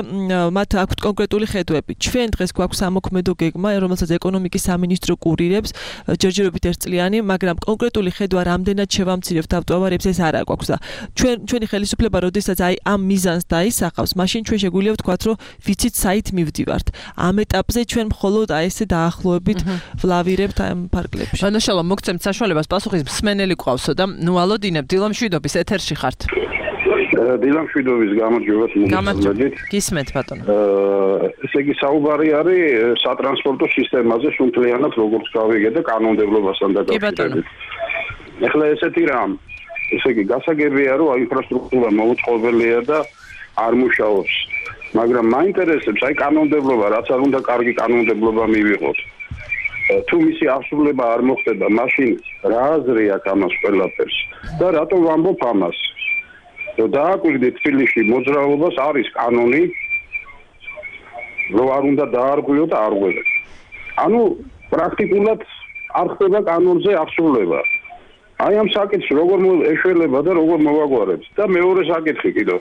მათ აქვთ კონკრეტული ხედვები. ჩვენ დღეს გვაქვს სამოქმედო გეგმა, რომელსაც ეკონომიკის სამინისტრო კურირებს, ჯერჯერობით ერთწლიანი, მაგრამ კონკრეტული ხედვა რამდენად შევამცირებთ ავტოავარიებს ეს არ აქვს და ჩვენი ხელისუფლება როდესაც აი ამ მიზანს დაისახავს, მაშინ ჩვენ შეგვიძლია ვთქვათ, რომ ვიცით საით მივდივართ. ამ ეტაპზე ჩვენ მხოლოდ აი ესე დაახლოებით ვლავირებთ ამ ფარგლებში. ბანაშალა მოგცემთ საშუალებას პასუხის მსმენელი ყავსო და ნუ ალოდინებ დილამშვიდობის ეთერში ხართ. დილამშვიდობის გამარჯვებას მოგესალმებით. გისმენთ ბატონო. ესე იგი საუბარი არის სატრანსპორტო სისტემაზე სუნთლიანად როგორც გავიგე და კანონმდებლობასთან დაკავშირებით. ეხლა ესეთი რამ, ესე იგი გასაგებია რომ ინფრასტრუქტურა მოუწყობელია და არ მუშაობს. მაგრამ მაინტერესებს აი კანონმდებლობა, რაც არ უნდა კარგი კანონმდებლობა მივიღოთ. თუ მისი აღსრულება არ მოხდება, მაშინ რა აზრი აქვს ამას ყველაფერს და რატო ვამბობ ამას? რომ დააკვირდით თბილისში მოძრაობას არის კანონი, რომ არ უნდა დაარღვიო და არღვევენ. ანუ პრაქტიკულად არ ხდება კანონზე აღსრულება. აი ამ საკითხს როგორ ეშველება და როგორ მოვაგვარებს და მეორე საკითხი კიდევ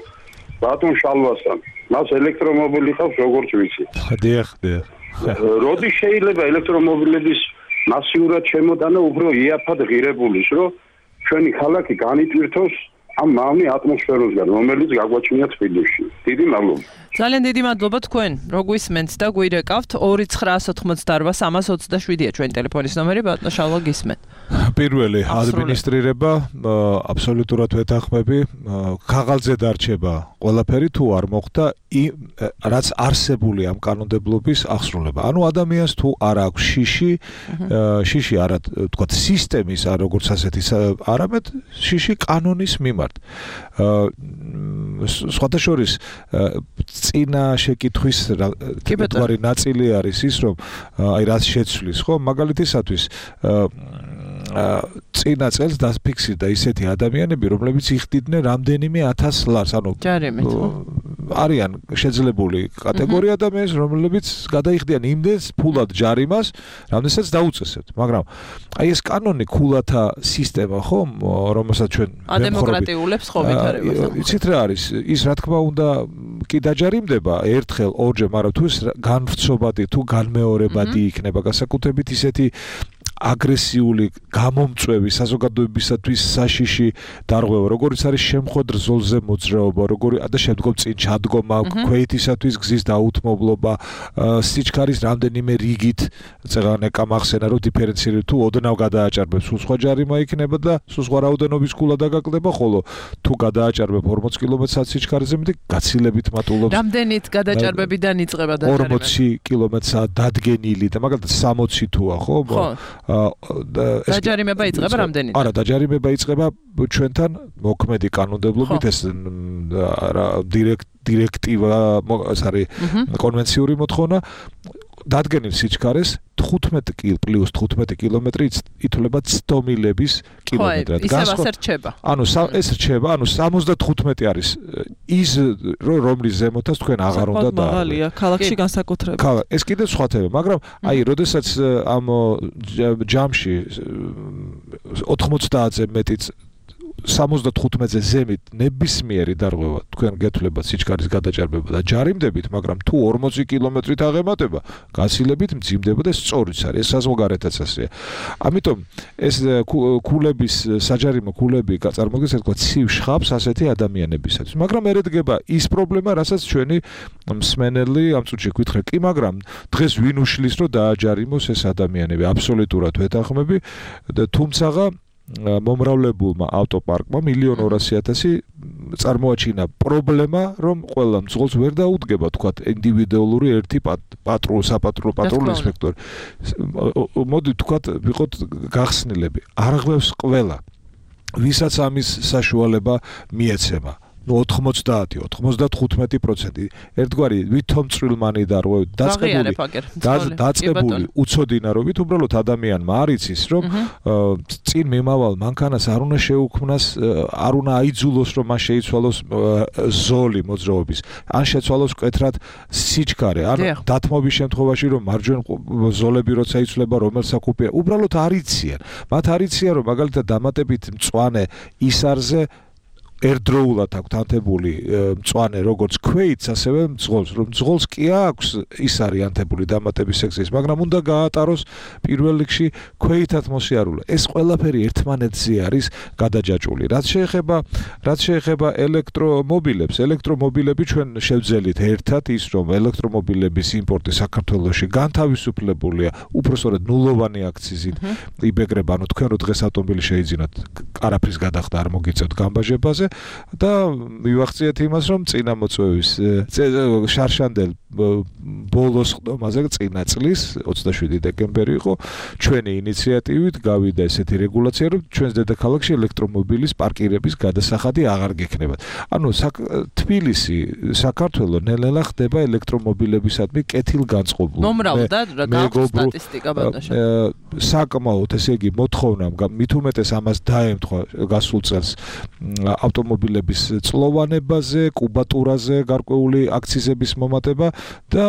ბატონ შალვასთან მას ელექტრომობილი ხავს როგორც ვიცი. დიახ. როდი შეიძლება ელექტრომობილების მასიურად შემოტანა უფრო იაფად ღირებულის, რომ ჩვენი ქალაქი განიტვირთოს ამ მავნე ატმოსფეროსგან, რომელიც გაგვაჩნია თბილისში. დიდი მადლობა. ძალიან დიდი მადლობა თქვენ. რო გვისმენთ და გვირეკავთ 2988-327-ია ჩვენი ტელეფონის ნომერი, ბატონო შალვა გისმენთ. პირველი ადმინისტრირება აბსოლუტურად ვეთანხმები, ქაღალდზე დარჩება ყველაფერი თუ არ მოხდა რაც არსებული ამ კანონმდებლობის აღსრულება. ანუ ადამიანს თუ არ აქვს შიში არა თქვა სისტემის არ როგორც ასეთი არამედ შიში კანონის მიმართ. სხვათა შორის წინა შეკითხვის კითხვა ნაწილი არის ის რომ აი რაც შეცვლის ხო მაგალითისათვის წინა წელს დაფიქსირდა ისეთი ადამიანები რომლებიც იხდიდნენ რამდენიმე 1000 ლარს ანუ არიან შეძლებული კატეგორია ადამიანის რომლებიც გადაიხდიან იმდენს ფულად ჯარიმას რამდენსაც დაუწესებთ მაგრამ აი ეს კანონი ქულათა სისტემა ხო რომელსაც ჩვენ ადემოკრატიულებს ხო ვითარებას იცით რა არის ის რა თქმა უნდა კი დაჯარიმდება ერთხელ ორჯერ მაგრამ თუ განვრცობადი თუ განმეორებადი იქნება განსაკუთრებით ისეთი აგრესიული გამომწვევი საზოგადოებისათვის საშიში დარღვევა როგორიც არის შემხოდრ ზოლზე მოძრაობა როგორი და შემდგომ წინ ჩადგომა ქვეითისათვის გზის დაუთმობლობა სიჩქარის რამდენიმე რიგით წეგან ეკამახსენა რომ დიფერენცირებთ თუ ოდნავ გადააჭარბებს სულ სხვა ჯარიმა იქნება და სულ სხვა რაოდენობის ქულა დაგაკდება ხოლო თუ გადააჭარბებ 40 კმ/სთ სიჩქარეზე მეტი გაცილებით მატულობს რამდენით გადაჭარბებიდან იწყება დაჭარბება 40 კმ/სთ დადგენილი და მაგალითად 60 თუა ხო დაჯარიმება იწყება რამდენით? არა, დაჯარიმება იწყება ჩვენთან მოქმედი კანონმდებლობით ეს დირექტივა, ეს არის კონვენციური მოთხოვნა დადგენილ სიჩქარეს 15 კილომეტრი ითვლება ცდომილების კილომეტრად. ანუ ეს რჩება, ანუ 75 არის ის რომლის ზემოთაც თქვენ აღარ უნდა და მაღალია ქალაქში განსაკუთრებით. ეს კიდევ სხვა თემა, მაგრამ აი როდესაც ამ ჯამში 90-ზე მეტი 75-ზე ზემით ნებისმიერი დარღვევა თქვენ გეთვლება სიჩქარის გადაჭარბება და ჯარიმდებით, მაგრამ თუ 40 კილომეტრით აღემატება, გაცილებით მძიმდება და სწორიც არის, ეს საზღვარგარეთაც ასეა. ამიტომ ეს ქულების საჯარიმო ქულები წარმოადგენს თქვა ცივ შხაპს ასეთი ადამიანებისათვის. მაგრამ ერედგება ის პრობლემა, რასაც ჩვენი მსმენელი ამ წუთში გითხრა, კი, მაგრამ დღეს ვინ უშლის რომ დააჯარიმოს ეს ადამიანები? აბსოლუტურად ვეთანხმები და თუმცაღა მომრავლებულმა ავტოპარკმა 1,200,000 წარმოაჩინა პრობლემა, რომ ყველა მძღოლს ვერ დაუდგება, თქვათ, ინდივიდუალური ერთი საპატრულო ინსპექტორი. მოდი თქვათ, ვიყოთ გახსნილები. არ ღვევს ყველა, ვისაც ამის საშუალება მიეცემა. 90-95% ერთგვარი ვითომ წვრილმანი დარღვევით დაწყებული უცოდინარობით უბრალოდ ადამიანმა არ იცის რომ წინ მიმავალ მანქანას არ უნდა შეუქმნას არ უნდა აიძულოს რომ მას შეიცვალოს ზოლი მოძრაობის ან შეცვალოს მკვეთრად სიჩქარე ან დათმობის შემთხვევაში რომ მარჯვენა ზოლები როცა იცვლება რომელ საკუპია უბრალოდ არ იციან მათ არ იციან რომ მაგალითად დამატებით მწვანე ისარზე ერთდროულად აქვს ანთებული მწვანე როგორც ქვეითს, ასევე მძღოლს, რომ მძღოლს კი აქვს ის არის ანთებული დამატების სექციის, მაგრამ უნდა გაატაროს პირველ რიგში ქვეითად მოსიარულე. ეს ყველაფერი ერთმანეთზე არის გადაჯაჭვული. რაც შეეხება ელექტრომობილებს, ელექტრომობილები ჩვენ შევძელით ერთად ის, რომ ელექტრომობილების იმპორტი საქართველოში განთავისუფლებულია, უпростоრად ნულოვანი აქციზით იბეგრება, ანუ თქვენ რო დღეს ავტომობილი შეიძინოთ, არაფრის გადახდა არ მოგიწევთ გამბაჟებაზე. და მივახციეთ იმას, რომ წინამოწვევის შარშანდელ ბოლოს ხდომაზე წინა წლის 27 დეკემბერი იყო ჩვენი ინიციატივით გავიდა ესეთი რეგულაცია, რომ ჩვენს დედაქალაქში ელექტრომობილის პარკირების გადასახადი აღარ გექნებათ. ანუ თბილისი, საქართველო ნელ-ნელა ხდება ელექტრომობილებისადმი კეთილგანწყობლად. მომრავლდა რა სტატისტიკა ბატონო. საკმაოდ, ესე იგი, მოთხოვნამ მით უმეტეს ამას დაემთხვა გასულ წელს ავტომობილების წლოვანებაზე, კუბატურაზე გარკვეული აქციზების მომატება და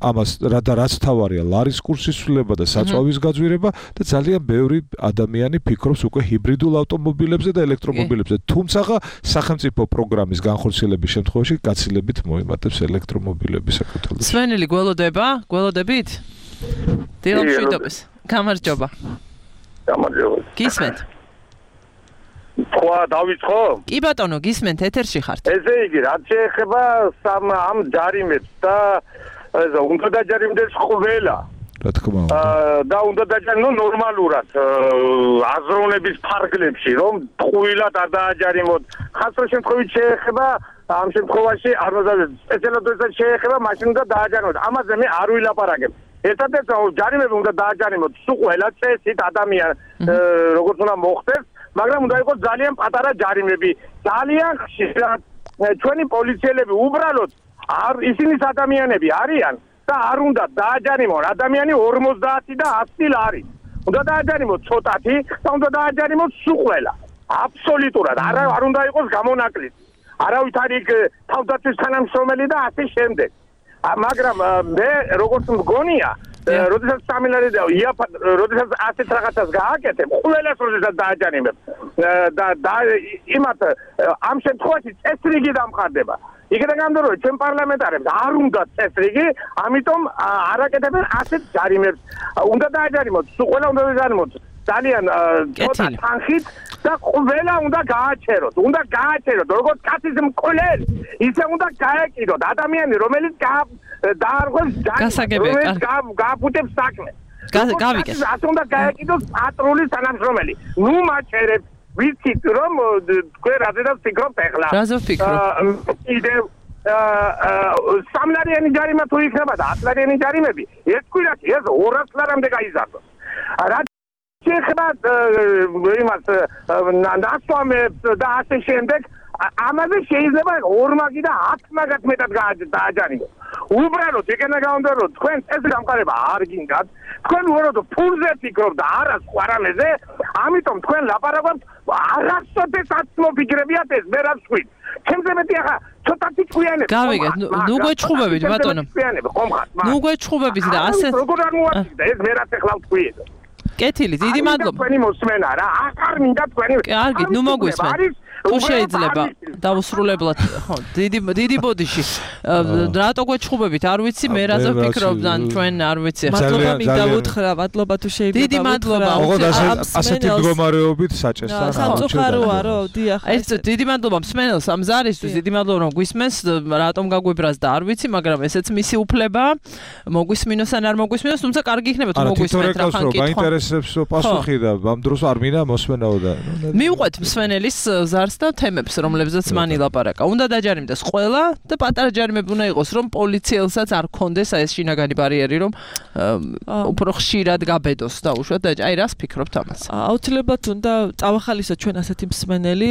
ამას რაც თავარია ლარის კურსის ცვლილება და საწვავის გაძვირება და ძალიან ბევრი ადამიანი ფიქრობს უკვე ჰიბრიდულ ავტომობილებზე და ელექტრომობილებზე. თუმცა სახელმწიფო პროგრამის განხორციელების შემთხვევაში გაცილებით მოიმატებს ელექტრომობილები საქართველოში. სვენელი გველოდებით? დილამშვიდობის. გამარჯობა. გამარჯობა. გისმენთ? თქვა დავიწყო? კი ბატონო, გისმენთ, ეთერში ხართ. ესე იგი, რაც შეეხება ამ ჯარიმებს და უნდა დაჯარიმდეს ყველა. რა თქმა უნდა. და უნდა დაჯარიმდეს ნორმალურად აზროვნების ფარგლებში, რომ ტყუილად არ დააჯარიმოთ. ხასრო შემთხვევით შეეხება ამ შემთხვევაში არ უნდა სპეციალურად შეეხება მაშინ უნდა დააჯარიმოთ. ამაზე მე არ ვილაპარაკებ. ერთადერთი ჯარიმები უნდა დააჯარიმოთ ყველა წესით ადამიან როგორც უნდა მოხდეს, მაგრამ უნდა იყოს ძალიან პატარა ჯარიმები. ძალიან ხშირად ჩვენი პოლიციელები უბრალოდ ისინი ადამიანები არიან და არ უნდა დააჯარიმონ ადამიანი 50 და 100 ლარი. უნდა დააჯარიმოთ ცოტათი და უნდა დააჯარიმოთ სულ ყველა. აბსოლუტურად არ უნდა იყოს გამონაკლისი. არავით არ იქ თავდაცვის თანამშრომელი და ასე შემდეგ. მაგრამ მე როგორც მგონია, როდესაც სამილარი და როდესაც ასეთ რაღაცას გააკეთებ, ყველას როდესაც დააჯარიმებ და იმათ ამ შემთხვევაში წესრიგი დამყარდება. იქიდან გამომდინარე, რომ ჩვენ პარლამენტარებს არ უნდა წესრიგი, ამიტომ არ აკეთებენ ასეთ ჯარიმებს. უნდა დააჯარიმოთ, სულ ყველა უნდა დააჯარიმოთ ძალიან ცოტა თანხით და ყველა უნდა გააჩეროთ. უნდა გააჩეროთ, როგორც კაცის მკვლელი, ისე უნდა გაეკიდოთ ადამიანი, რომელიც დაარღვევს ჯარიმს, გააფუტებს საქმე. გავიგეთ. ასე უნდა გაეკიდოს პატრულის თანამშრომელი. ნუ მაჩერებს ვიცით რომ თქვენ რაზედაც ფიქრობთ ახლა. რაზე ვფიქრობ? კიდევ სამლარიანი ჯარიმა თუ იქნება და 10 ლარიანი ჯარიმები ერთ კვირაში ეს 200 ლარამდე გაიზარდოს. რაც შეეხება იმას ნასვამებს და ასე შემდეგ ამაზე შეიძლება 2 მაგი და 10 მაგათ მეტად დააჯარიმოს. უბრალოდ ეგენა გამომდინარე რომ თქვენ ეს გამყარება არ გინდათ, თქვენ უბრალოდ ფულზე ფიქრობთ და არა სხვა რამეზე, ამიტომ თქვენ ლაპარაკობთ არასოდესაც მოფიქრებიათ ეს მე რაც ვთქვით. ჩემზე მეტი ახლა ცოტათი ჭკვიანები. გავიგეთ, ნუ გვეჩხუბებით ბატონო. ნუ გვეჩხუბებით და ასე როგორ არ მოაჩვიდა ეს მე რაც ახლა ვთქვი. კეთილი, დიდი მადლობა. თქვენი მოსმენა რა, აღარ მინდა თქვენი. კარგი, ნუ მოგვისმენ. თუ შეიძლება დავუსრულებლად, ხო, დიდი ბოდიში. რატო გვეჩხუბებით, არ ვიცი, მე რაზე ვფიქრობ, ან ჩვენ არ ვიცი. მადლობა მინდა უთხრა, მადლობა თუ შეიძლება. დიდი მადლობა. ოღონდ ასეთი მდგომარეობით საჭესთან. სამწუხაროა, რო, დიახ. ეს დიდი მადლობა მსმენელს ამ ზარისთვის, დიდი მადლობა რომ გვისმენს, რატომ გაგვიბრას და არ ვიცი, მაგრამ ესეც მისი უფლება. მოგვისმინოს ან არ მოგვისმინოს, თუმცა კარგი იქნება თუ მოგვისმენთ რა ხან კითხვა. მაინტერესებს პასუხი და ამ დროს არ მინდა მოსმენაო და მივყვეთ მსმენელის ზარს და თემებს, რომლებზეც მან ილაპარაკა. უნდა დაჯარიმდეს ყველა და პატარა ჯარიმები უნდა იყოს, რომ პოლიციელსაც არ ქონდეს ეს შინაგანი ბარიერი, რომ უფრო ხშირად გაბედოს და უშუალოდ აი რას ფიქრობთ ამას? აუცილებლად უნდა წავახალისოთ ჩვენ ასეთი მსმენელი,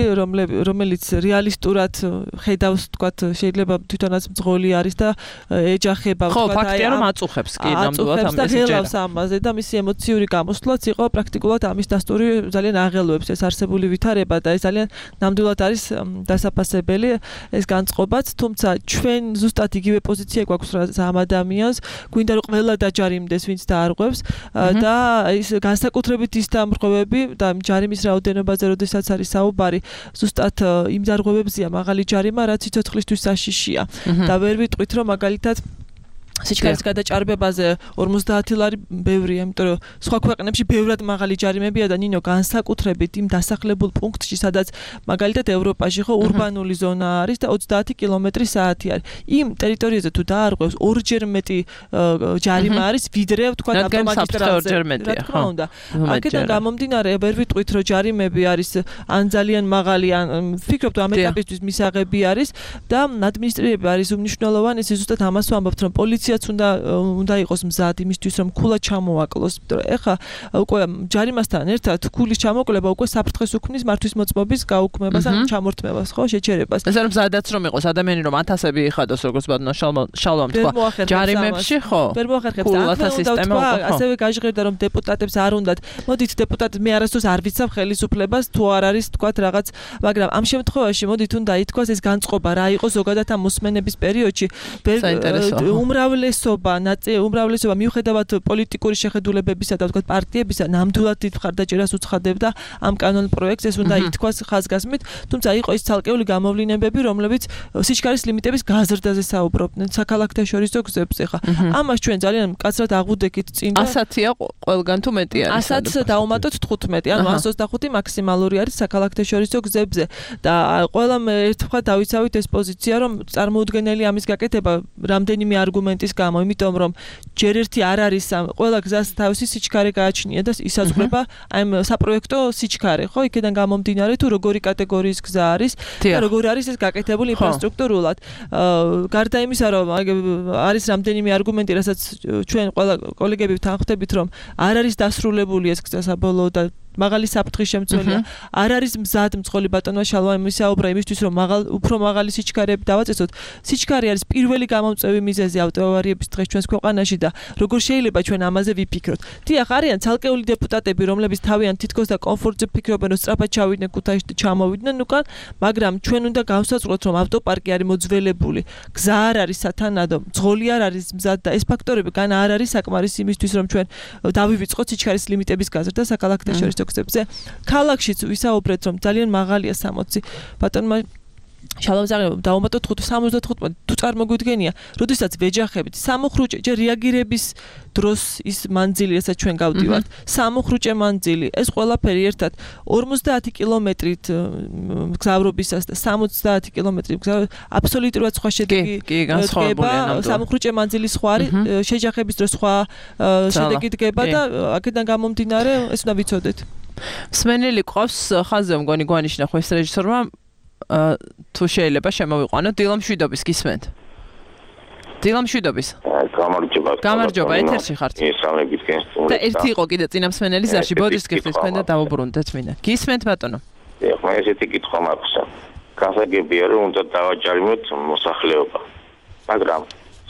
რომელიც რეალისტურად ხედავს, თქვათ, შეიძლება თვითონაც მძღოლი არის და ეჯახება, თქვათ, აი ფაქტია რომ აწუხებს კი ნამდვილად ამ მესეჯს ამაზე და მისი ემოციური გამოსვლაც იყო პრაქტიკულად ამის დასტური ძალიან აღელვებს ეს არსებული ვითარება და ეს ძალიან ნამდვილად არის დასაფასებელი ეს განწყობაც, თუმცა ჩვენ ზუსტად იგივე პოზიცია გვაქვს ამ ადამიანს, გვინდა რომ ყველა დაჯარიმდეს, ვინც დაარღვევს და ის განსაკუთრებით ის დამრღვევები და ჯარიმის რაოდენობაზე, როდესაც არის საუბარი, ზუსტად იმ დარღვევებზია მაღალი ჯარიმა, რაც სიცოცხლისთვის საშიშია და ვერ ვიტყვით რომ მაგალითად სიჩქარის გადაჭარბებაზე 50 ლარი ბევრია, იმიტომ რომ სხვა ქვეყნებში ბევრად მაღალი ჯარიმებია და ნინო განსაკუთრებით იმ დასახლებულ პუნქტში, სადაც მაგალითად ევროპაში ხო ურბანული ზონა არის და 30 კმ/სთ არის. იმ ტერიტორიაზე თუ დაარღვევს ორჯერ მეტი ჯარიმა არის, ვიდრე თქვა ავტომაგისტრალზე. რა თქმა უნდა. აქედან გამომდინარე, ვერ ვიტყვით რომ ჯარიმები არის ან ძალიან მაღალი, ან ვფიქრობ ამ ეტაპისთვის მისაღები არის და ადმინისტრირება არის უმნიშვნელოვანესი, ზუსტად ამას ვამბობთ, რომ პოლიცია მაშინაც უნდა იყოს მზად იმისთვის რომ ქულა ჩამოაკლოს. ეხლა უკვე ჯარიმასთან ერთად ქულის ჩამოკლება უკვე საფრთხეს უქმნის მართვის მოწმობის გაუქმებას ან ჩამორთმებას, ხო, შეჩერებას. ეს არის მზადაც რომ იყოს ადამიანი რომ ათასები იხადოს როგორც ბატონო შალვამ თქვა. ჯარიმებში ხო? ვერ მოახერხებს. ასევე გაჟღერდა რომ დეპუტატებს არ უნდათ. მოდით დეპუტატ მე არასდროს არ ვიცავ ხელისუფლებას თუ არ არის თქვათ რაღაც, მაგრამ ამ შემთხვევაში მოდით უნდა ითქვას ეს განწყობა რა იყო ზოგადად ამ მოსმენების პერიოდში. უმრავლესობა მიუხედავად პოლიტიკური შეხედულებებისა და თქვათ პარტიებისა ნამდვილად დიდ მხარდაჭერას უცხადებდა ამ კანონ პროექტს, ეს უნდა ითქვას ხაზგასმით, თუმცა იყო ის ცალკეული გამოვლინებები, რომლებიც სიჩქარის ლიმიტების გაზრდაზე საუბრობდნენ საქალაქთაშორისო გზებზე. ხა ამას ჩვენ ძალიან მკაცრად აღვუდექით წინ და 100-ია ყველგან თუ მეტი არის. 100-ს დავუმატოთ 15, ანუ 125 მაქსიმალური არის საქალაქთაშორისო გზებზე და ყველამ ერთხელ დავიცავით ეს პოზიცია, რომ წარმოუდგენელი ამის გაკეთება რამდენიმე არგუმენტის გამო, იმიტომ რომ ჯერ ერთი არ არის ყველა გზას თავისი სიჩქარე გააჩნია და ისაზღვრება ამ საპროექტო სიჩქარე, ხო? იქიდან გამომდინარე თუ როგორი კატეგორიის გზა არის და როგორ არის ეს გაკეთებული ინფრასტრუქტურულად. გარდა იმისა, რომ არის რამდენიმე არგუმენტი, რასაც ჩვენ ყველა კოლეგები თანხმდებით, რომ არ არის დასრულებული ეს გზა საბოლოო და მაღალი საფრთხის შემცველია. არ არის მზად მწყოლი ბატონმა შალვა იმისაუბრა იმისთვის რომ უფრო მაღალი სიჩქარეები დავაწესოთ. სიჩქარე არის პირველი გამომწვევი მიზეზი ავტოავარიების დღეს ჩვენს ქვეყანაში და როგორ შეიძლება ჩვენ ამაზე ვიფიქროთ. დიახ, არიან ცალკეული დეპუტატები, რომლებიც თავიანთ თითქოს და კომფორტზე ფიქრობენ, რომ სწრაფად ჩავიდნენ ქუთაისში და ჩამოვიდნენ უკან, მაგრამ ჩვენ უნდა გავსაწყოთ, რომ ავტოპარკი არის მოძველებული, გზა არ არის სათანადო, მძღოლი არ არის მზად და ეს ფაქტორები გან არ არის საკმარისი იმისთვის, რომ ჩვენ დავივიწყოთ სიჩქარის ლიმიტების გაზრდა საქალაქთაშორისო გზებზე. ქალაქშიც ვისაუბრეთ, რომ ძალიან მაღალია 60. ბატონმა შალომზაღი დავუმატოთ 75 თუ წარმოგვიდგენია, როდესაც ვეჯახებით სამუხრუჭე ჯერ რეაგირების დროს ის მანძილი, რასაც ჩვენ გავდივართ, სამუხრუჭე მანძილი, ეს ყველაფერი ერთად 50 კილომეტრით გზავრობისას და 70 კილომეტრი აბსოლუტურად სხვა შედეგი დგება, სამუხრუჭე მანძილი სხვა არის, შეჯახების დროს სხვა შედეგი დგება და აქედან გამომდინარე ეს უნდა ვიცოდეთ. მსმენელი ყავს ხაზზე მგონი გვანიშნა ხო ეს რეჟისორმა თუ შეიძლება შემოვიყვანო დილამშვიდობის გისმენთ. დილამშვიდობის. გამარჯობა, ეთერში ხართ. და ერთი იყო კიდე წინა მსმენელი ზარში, ბოდიშს გიხდით თქვენ და დავუბრუნდეთ მინდა. გისმენთ ბატონო. ეხლა ესეთი კითხვა მაქვს. გასაგებია რომ უნდა დავაჯარიმოთ მოსახლეობა. მაგრამ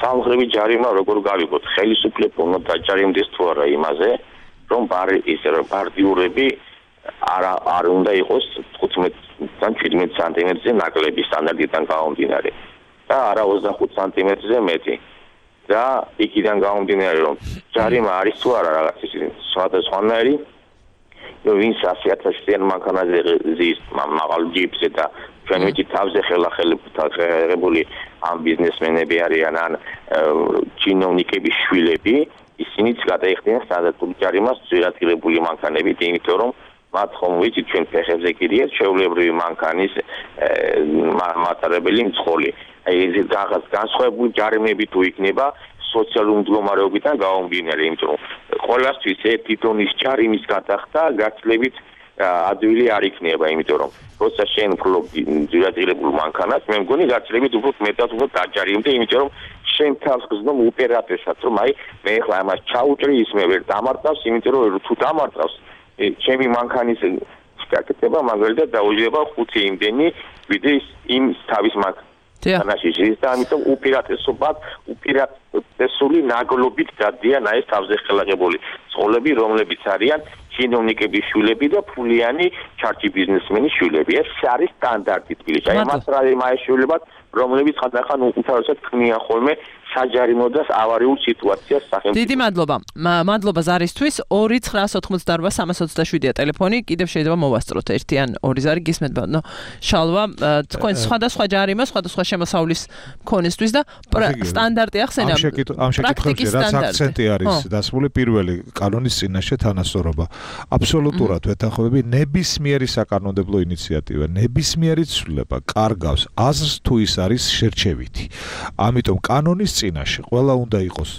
სამხრები ჯარიმა როგორ გავიგოთ? ხელისუფლება უნდა დაჯარიმდეს თუ არა იმაზე, რომ პარტიურები არ უნდა იყოს 15-დან 17 სანტიმეტრზე ნაკლები სტანდარტიდან გამომდინარე და არა 25 სანტიმეტრზე მეტი. და იქიდან გამომდინარე რომ ჯარიმა არის თუ არა რაღაც ისე სხვადასხვანაირი, ვინც 100,000-იან მანქანაზე ზის მაღალ ჯიპზე და ჩვენ ვიცით თავზე ხელახელებული ამ ბიზნესმენები არიან ან ჩინოვნიკების შვილები, ისინიც გადაიხდიან სტანდარტულ ჯარიმას ძირადღირებული მანქანებით, იმიტომ რომ მათ ხომ ვიცით ჩვენ ფეხებზე გირიეთ ჩვეულებრივი მანქანის მატარებელი მძღოლი. აი ეს რაღაც განსხვავებული ჯარიმები თუ იქნება სოციალური მდგომარეობიდან გამომდინარე, იმიტომ რომ ყველასთვის ერთი ტონის ჯარიმის გადახდა გაცლებით ადვილი არ იქნება, იმიტომ რომ როცა შენ ფლობ ძირადღირებულ მანქანას, მე მგონი გაცლებით უფრო მეტად უფრო დაჯარიმდე, იმიტომ რომ შენ თავს გზნობ ოპერატორსაც, რომ აი მე ხლა ამას ჩაუჭრი ის მე ვერ დამარტავს, იმიტომ რომ თუ დამარტავს ჩემი მანქანის გაკეთება მაგალითად დაუჯდება 5 იმდენი ვიდრე იმ თავის მანქანაში და ამიტომ უპირატესული ნაგლობით დადიან ეს თავზე ხელაღებული წყოლები, რომლებიც არიან ჩინოვნიკების შვილები და ფულიანი ჩარჩი ბიზნესმენის შვილები. ეს არის სტანდარტი თბილისში. აი მას რა იმაშვილებად, რომლებიც ხანდახან უთავრესად ქმნიან ხოლმე საჯარიმო და ავარიულ სიტუაციას სახელმწიფო. დიდი მადლობა. მადლობა ზარისთვის. 2988327-ია ტელეფონი. კიდევ შეიძლება მოვასწროთ ერთი ან ორი ზარი გისმენთ ბატონო. შალვა, თქვენ სხვადასხვა ჯარიმა, სხვადასხვა შემოსავლის მქონესთვის და სტანდარტი ახსენა. ამ შეკითხვებში რაც აქცენტი არის დასმული პირველი კანონის წინაშე თანასწორობა. აბსოლუტურად ვეთანხმები ნებისმიერი საკანონმდებლო ინიციატივა, ნებისმიერი ცვლილება კარგავს აზრს თუ ის არის შერჩევითი. ამიტომ კანონის წინაშე ყველა უნდა იყოს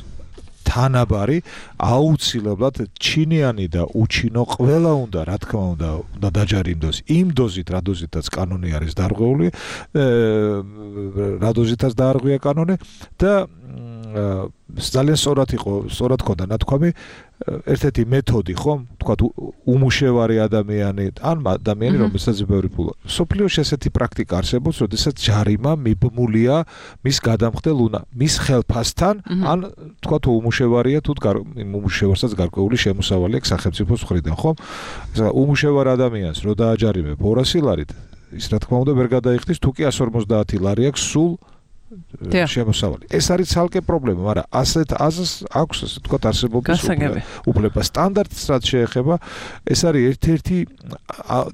თანაბარი, აუცილებლად ჩინიანი და უჩინო ყველა უნდა, რა თქმა უნდა, დაჯარიმდოს იმ დოზით, რა დოზითაც კანონი არის დარღვეული, რა დოზითაც დაარღვია კანონი და ძალიან სწორად ქონდა ნათქვამი ერთ-ერთი მეთოდი ხომ თქვათ უმუშევარი ადამიანი ან ადამიანი რომელსაც ბევრი ფულა სოფლიოში ესეთი პრაქტიკა არსებობს როდესაც ჯარიმა მიბმულია მის გადამხდელ მის ხელფასთან ან თქვათ უმუშევარია თუ უმუშევარსაც გარკვეული შემოსავალი აქვს სახელმწიფოს მხრიდან ხომ უმუშევარ ადამიანს რო დააჯარიმებ 200 ლარით ის რა თქმა უნდა ვერ გადაიხდის თუ კი 150 ლარი აქვს სულ შემოსავალი. ეს არის ცალკე პრობლემა, მაგრამ ასეთ აზრს აქვს ასე თქვა არსებობის უფლება. სტანდარტს რაც შეეხება, ეს არის ერთ-ერთი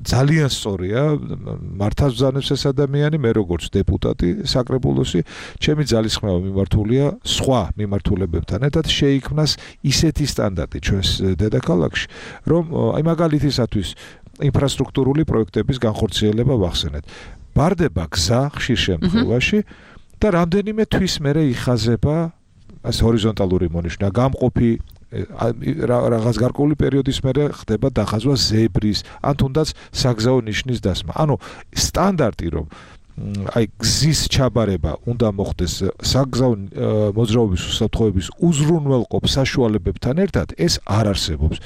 ძალიან სწორია, მართავს ბრძანებს ეს ადამიანი, მე როგორც დეპუტატი საკრებულოსი, ჩემი ძალისხმევა მიმართულია სხვა მიმართულებებთან ერთად შეიქმნას ისეთი სტანდარტი ჩვენს დედაქალაქში, რომ აი მაგალითისათვის ინფრასტრუქტურული პროექტების განხორციელება ვახსენეთ. ბარდება გზა ხშირ შემთხვევაში და რამდენიმე თვის მერე იხაზება ეს ჰორიზონტალური მონიშნა გამყოფი რაღაც გარკვეული პერიოდის მერე ხდება დახაზვა ზებრის ან თუნდაც საგზაო ნიშნის დასმა. ანუ სტანდარტი რომ აი გზის ჩაბარება უნდა მოხდეს საგზაო მოძრაობის უსაფრთხოების უზრუნველყოფ საშუალებებთან ერთად ეს არ არსებობს.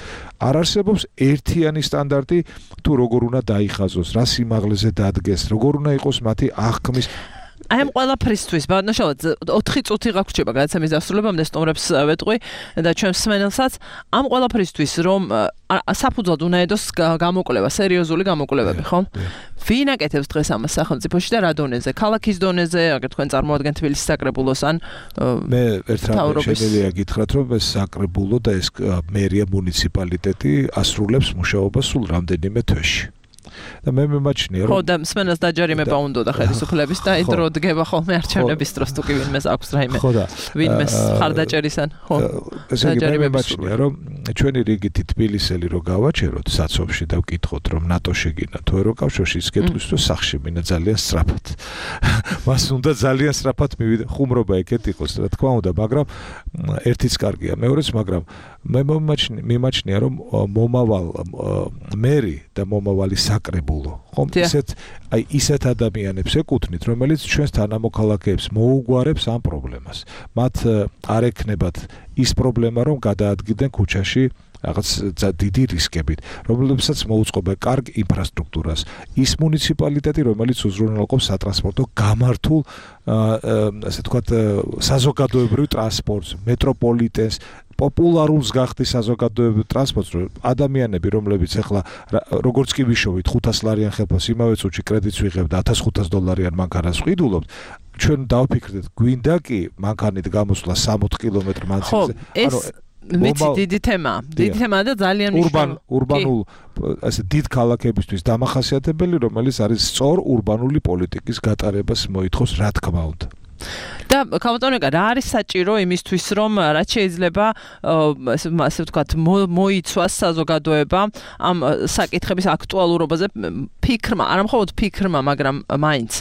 არ არსებობს ერთიანი სტანდარტი თუ როგორ უნდა დაიხაზოს, რა სიმაღლეზე დადგეს, როგორ უნდა იყოს მათი აღქმის აი ამ ყველაფრისთვის ბატონშალად 4 წუთი გაგვჭირდება გადაცემის დასრულებამდე სტუმრებს ვეტყვი და ჩვენს მსმენელსაც ამ ყველაფრისთვის რომ საფუძვლად უნდა ედოს გამოკვლევა სერიოზული გამოკვლევები ხომ? ვინ აკეთებს დღეს ამას სახელმწიფოში და რა დონეზე? ქალაქის დონეზე, აგერ თქვენ წარმოადგენთ თბილისის საკრებულოს ან მე ერთ რამე შემიძლია გითხრათ რომ ეს საკრებულო და ეს მერია მუნიციპალიტეტი ასრულებს მუშაობას სულ რამდენიმე თვეში. და მე მიმაჩნია რომ ხო და მსმენელს დაჯარიმება უნდა და ხელისუფლების და ის დრო დგება ხოლმე არჩევნების დროს თუ კი ვინმეს აქვს რაიმე ვინმეს ხარდაჭერისან ხო ესე იგი მე მიმაჩნია რომ ჩვენი რიგითი თბილისელი რო გავაჩეროთ საცობში და ვკითხოთ რომ ნატო შეგინა თუ ევროკავშირში ის გეტყვის რომ სახში მინა ძალიან სწრაფად მას უნდა ძალიან სწრაფად მივიდა ხუმრობა ეგეთ იყოს რა თქმა უნდა მაგრამ ერთიც კარგია მეორეც მაგრამ მე მიმაჩნია რომ მომავალ მერი და მომავალი საკრებულო ხომ ისეთ ადამიანებს ეკუთვნით რომელიც ჩვენს თანამოქალაქეებს მოუგვარებს ამ პრობლემას მათ არ ექნებათ ის პრობლემა რომ გადაადგილდნენ ქუჩაში რაღაც დიდი რისკებით რომლებსაც მოუწყობენ კარგ ინფრასტრუქტურას ის მუნიციპალიტეტი რომელიც უზრუნველყოფს სატრანსპორტო გამართულ ასე ვთქვათ საზოგადოებრივ ტრანსპორტს მეტროპოლიტენს პოპულარულს გახდის საზოგადოებრივ ტრანსპორტს ადამიანები რომლებიც ახლა როგორც კი ვიშოვით 500 ლარიან ხელფასს იმავე წუთში კრედიტს ვიღებ და $1500 მანქანას ვყიდულობთ ჩვენ დავფიქრდეთ გვინდა კი მანქანით გამოსვლა 60 კილომეტრი მანძილზე ანუ მეცი დიდი თემაა და ძალიან ურბანულ ასე დიდ ქალაქებისთვის დამახასიათებელი რომელიც არის სწორ ურბანული პოლიტიკის გატარებას მოითხოვს რა თქმა უნდა და კავტონეკა რა არის საჭირო იმისთვის რომ რაც შეიძლება ასე ვთქვათ მოიცვას საზოგადოება ამ საკითხების აქტუალურობაზე ფიქრმა არა მხოლოდ ფიქრმა მაგრამ მაინც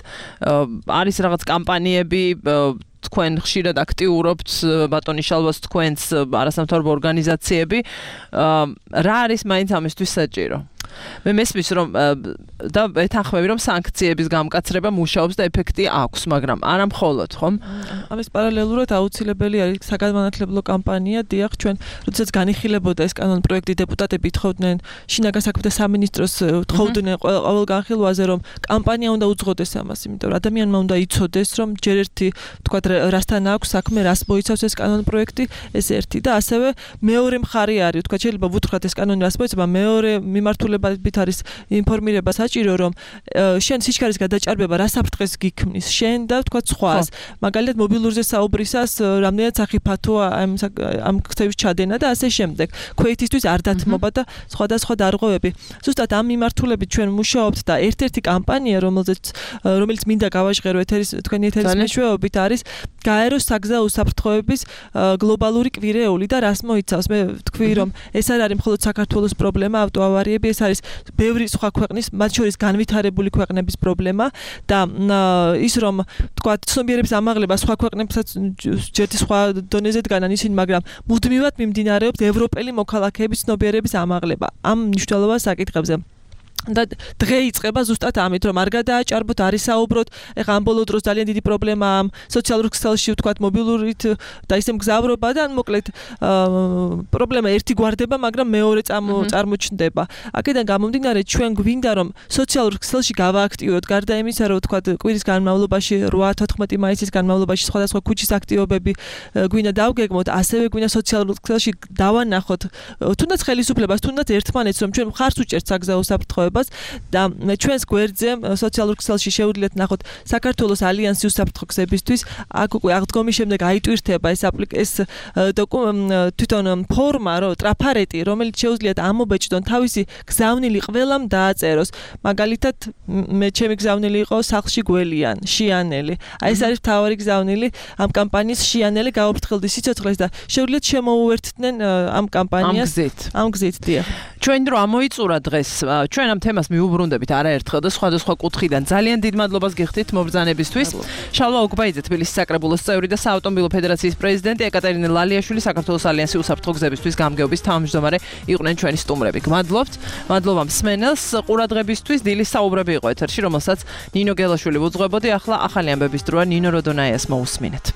არის რაღაც კამპანიები თქვენ ხშირად აქტიურობთ ბატონი შალვას თქვენს არასამთავრობო ორგანიზაციები რა არის მაინც ამისთვის საჭირო მე მესმის რომ და ეთანხმები რომ სანქციების გამკაცრება მუშაობს და ეფექტი აქვს მაგრამ არა მხოლოდ ხომ ამის პარალელურად აუცილებელი არის საგანმანათლებლო კამპანია დიახ ჩვენ როდესაც განიხილებოდა ეს კანონპროექტი დეპუტატები თხოვდნენ შინაგან საქმეთა სამინისტროს თხოვდნენ ყოველ განხილვაზე რომ კამპანია უნდა უძღოდეს ამას იმიტომ რომ ადამიანმა უნდა იცოდეს რომ ჯერ ერთი თქვათ რასთან აქვს საქმე რას მოიცავს ეს კანონპროექტი ეს ერთი და ასევე მეორე მხარე არის თქვათ შეიძლება ვუთხრათ ეს კანონი რას მოიცავს მეორე მიმართულებებით არის ინფორმირება საჭირო რომ შენ სიჩქარის გადაჭარბება რა საფრთხეს გიქმნის შენ და თქვათ სხვას მაგალითად მობილურზე საუბრისას რამდენად სახიფათოა ამ ქცევის ჩადენა და ასე შემდეგ ქვეითისთვის არ დათმობა და სხვადასხვა დარღვევები ზუსტად ამ მიმართულებით ჩვენ მუშაობთ და ერთ-ერთი კამპანია რომელიც მინდა გავაჟღერო თქვენი ეთერის მეშვეობით არის გაეროს საგზაო უსაფრთხოების გლობალური კვირეული და რას მოიცავს მე ვთქვი რომ ეს არ არის მხოლოდ საქართველოს პრობლემა ავტოავარიები ეს არის ბევრი სხვა ქვეყნის მათ შორის განვითარებული ქვეყნების პრობლემა და ის რომ თქვა ცნობიერების ამაღლება სხვა ქვეყნებსაც ჯერტი სხვა დონეზე დგანან ისინი მაგრამ მუდმივად მიმდინარეობს ევროპელი მოქალაქეების ცნობიერების ამაღლება ამ მნიშვნელოვან საკითხებზე და დღე იწყება ზუსტად ამით, რომ არ გადააჭარბოთ, არ ისაუბროთ. ეხლა ამ ბოლო დროს ძალიან დიდი პრობლემაა სოციალურ ქსელში, ვთქვათ, მობილურით და ისე მგზავრობა და მოკლედ პრობლემა ერთი გვარდება, მაგრამ მეორე წარმოჩნდება. აქედან გამომდინარე, ჩვენ გვინდა რომ სოციალურ ქსელში გავააქტიუროთ, გარდა იმისა, რომ ვთქვათ, კვირის განმავლობაში 8-14 მაისის განმავლობაში სხვადასხვა ქუჩის აქტივობები გვინდა დავგეგმოთ, ასევე გვინდა სოციალურ ქსელში დავანახოთ, თუნდაც ხელისუფლებას, თუნდაც ერთმანეთს, რომ ჩვენ მხარს უჭერთ საგზაო საფრთხეებს და ჩვენს გვერდზე სოციალურ ქსელში შეუძლიათ ნახოთ საქართველოს ალიანსი უსაფრთხო გზებისთვის. აქ უკვე აღდგომის შემდეგ აიტვირთება ეს თვითონ ფორმა, ტრაფარეტი, რომელიც შეუძლიათ ამობეჭდონ თავისი გზავნილი ყველამ დააწეროს. მაგალითად, ჩემი გზავნილი იყო სახლში გველიან, შიანელი. ეს არის მთავარი გზავნილი ამ კამპანიის შიანელი გაუფრთხილდი სიცოცხლეს და შეუძლიათ შემოუერთდნენ ამ კამპანიას ამ გზით. დიახ. ჩვენ დრო ამოიწურა დღეს. ჩვენ ამ თემას მიუბრუნდებით არაერთხელ და სხვადასხვა კუთხიდან. ძალიან დიდ მადლობას გიხდით მობრძანებისთვის. შალვა ოგბაიძე, თბილისის საკრებულოს წევრი და საავტომობილო ფედერაციის პრეზიდენტი, ეკატერინე ლალიაშვილი, საქართველოს ალიანსი უსაფრთხო გზებისთვის გამგეობის თავმჯდომარე იყვნენ ჩვენი სტუმრები. გმადლობთ. მადლობა მსმენელს ყურადღებისთვის. დილის საუბრები იყო ეთერში, რომელსაც ნინო გელაშვილი უძღვებოდი. ახლა ახალი ამბების დროა, ნინო როდონაიას მოусმინეთ.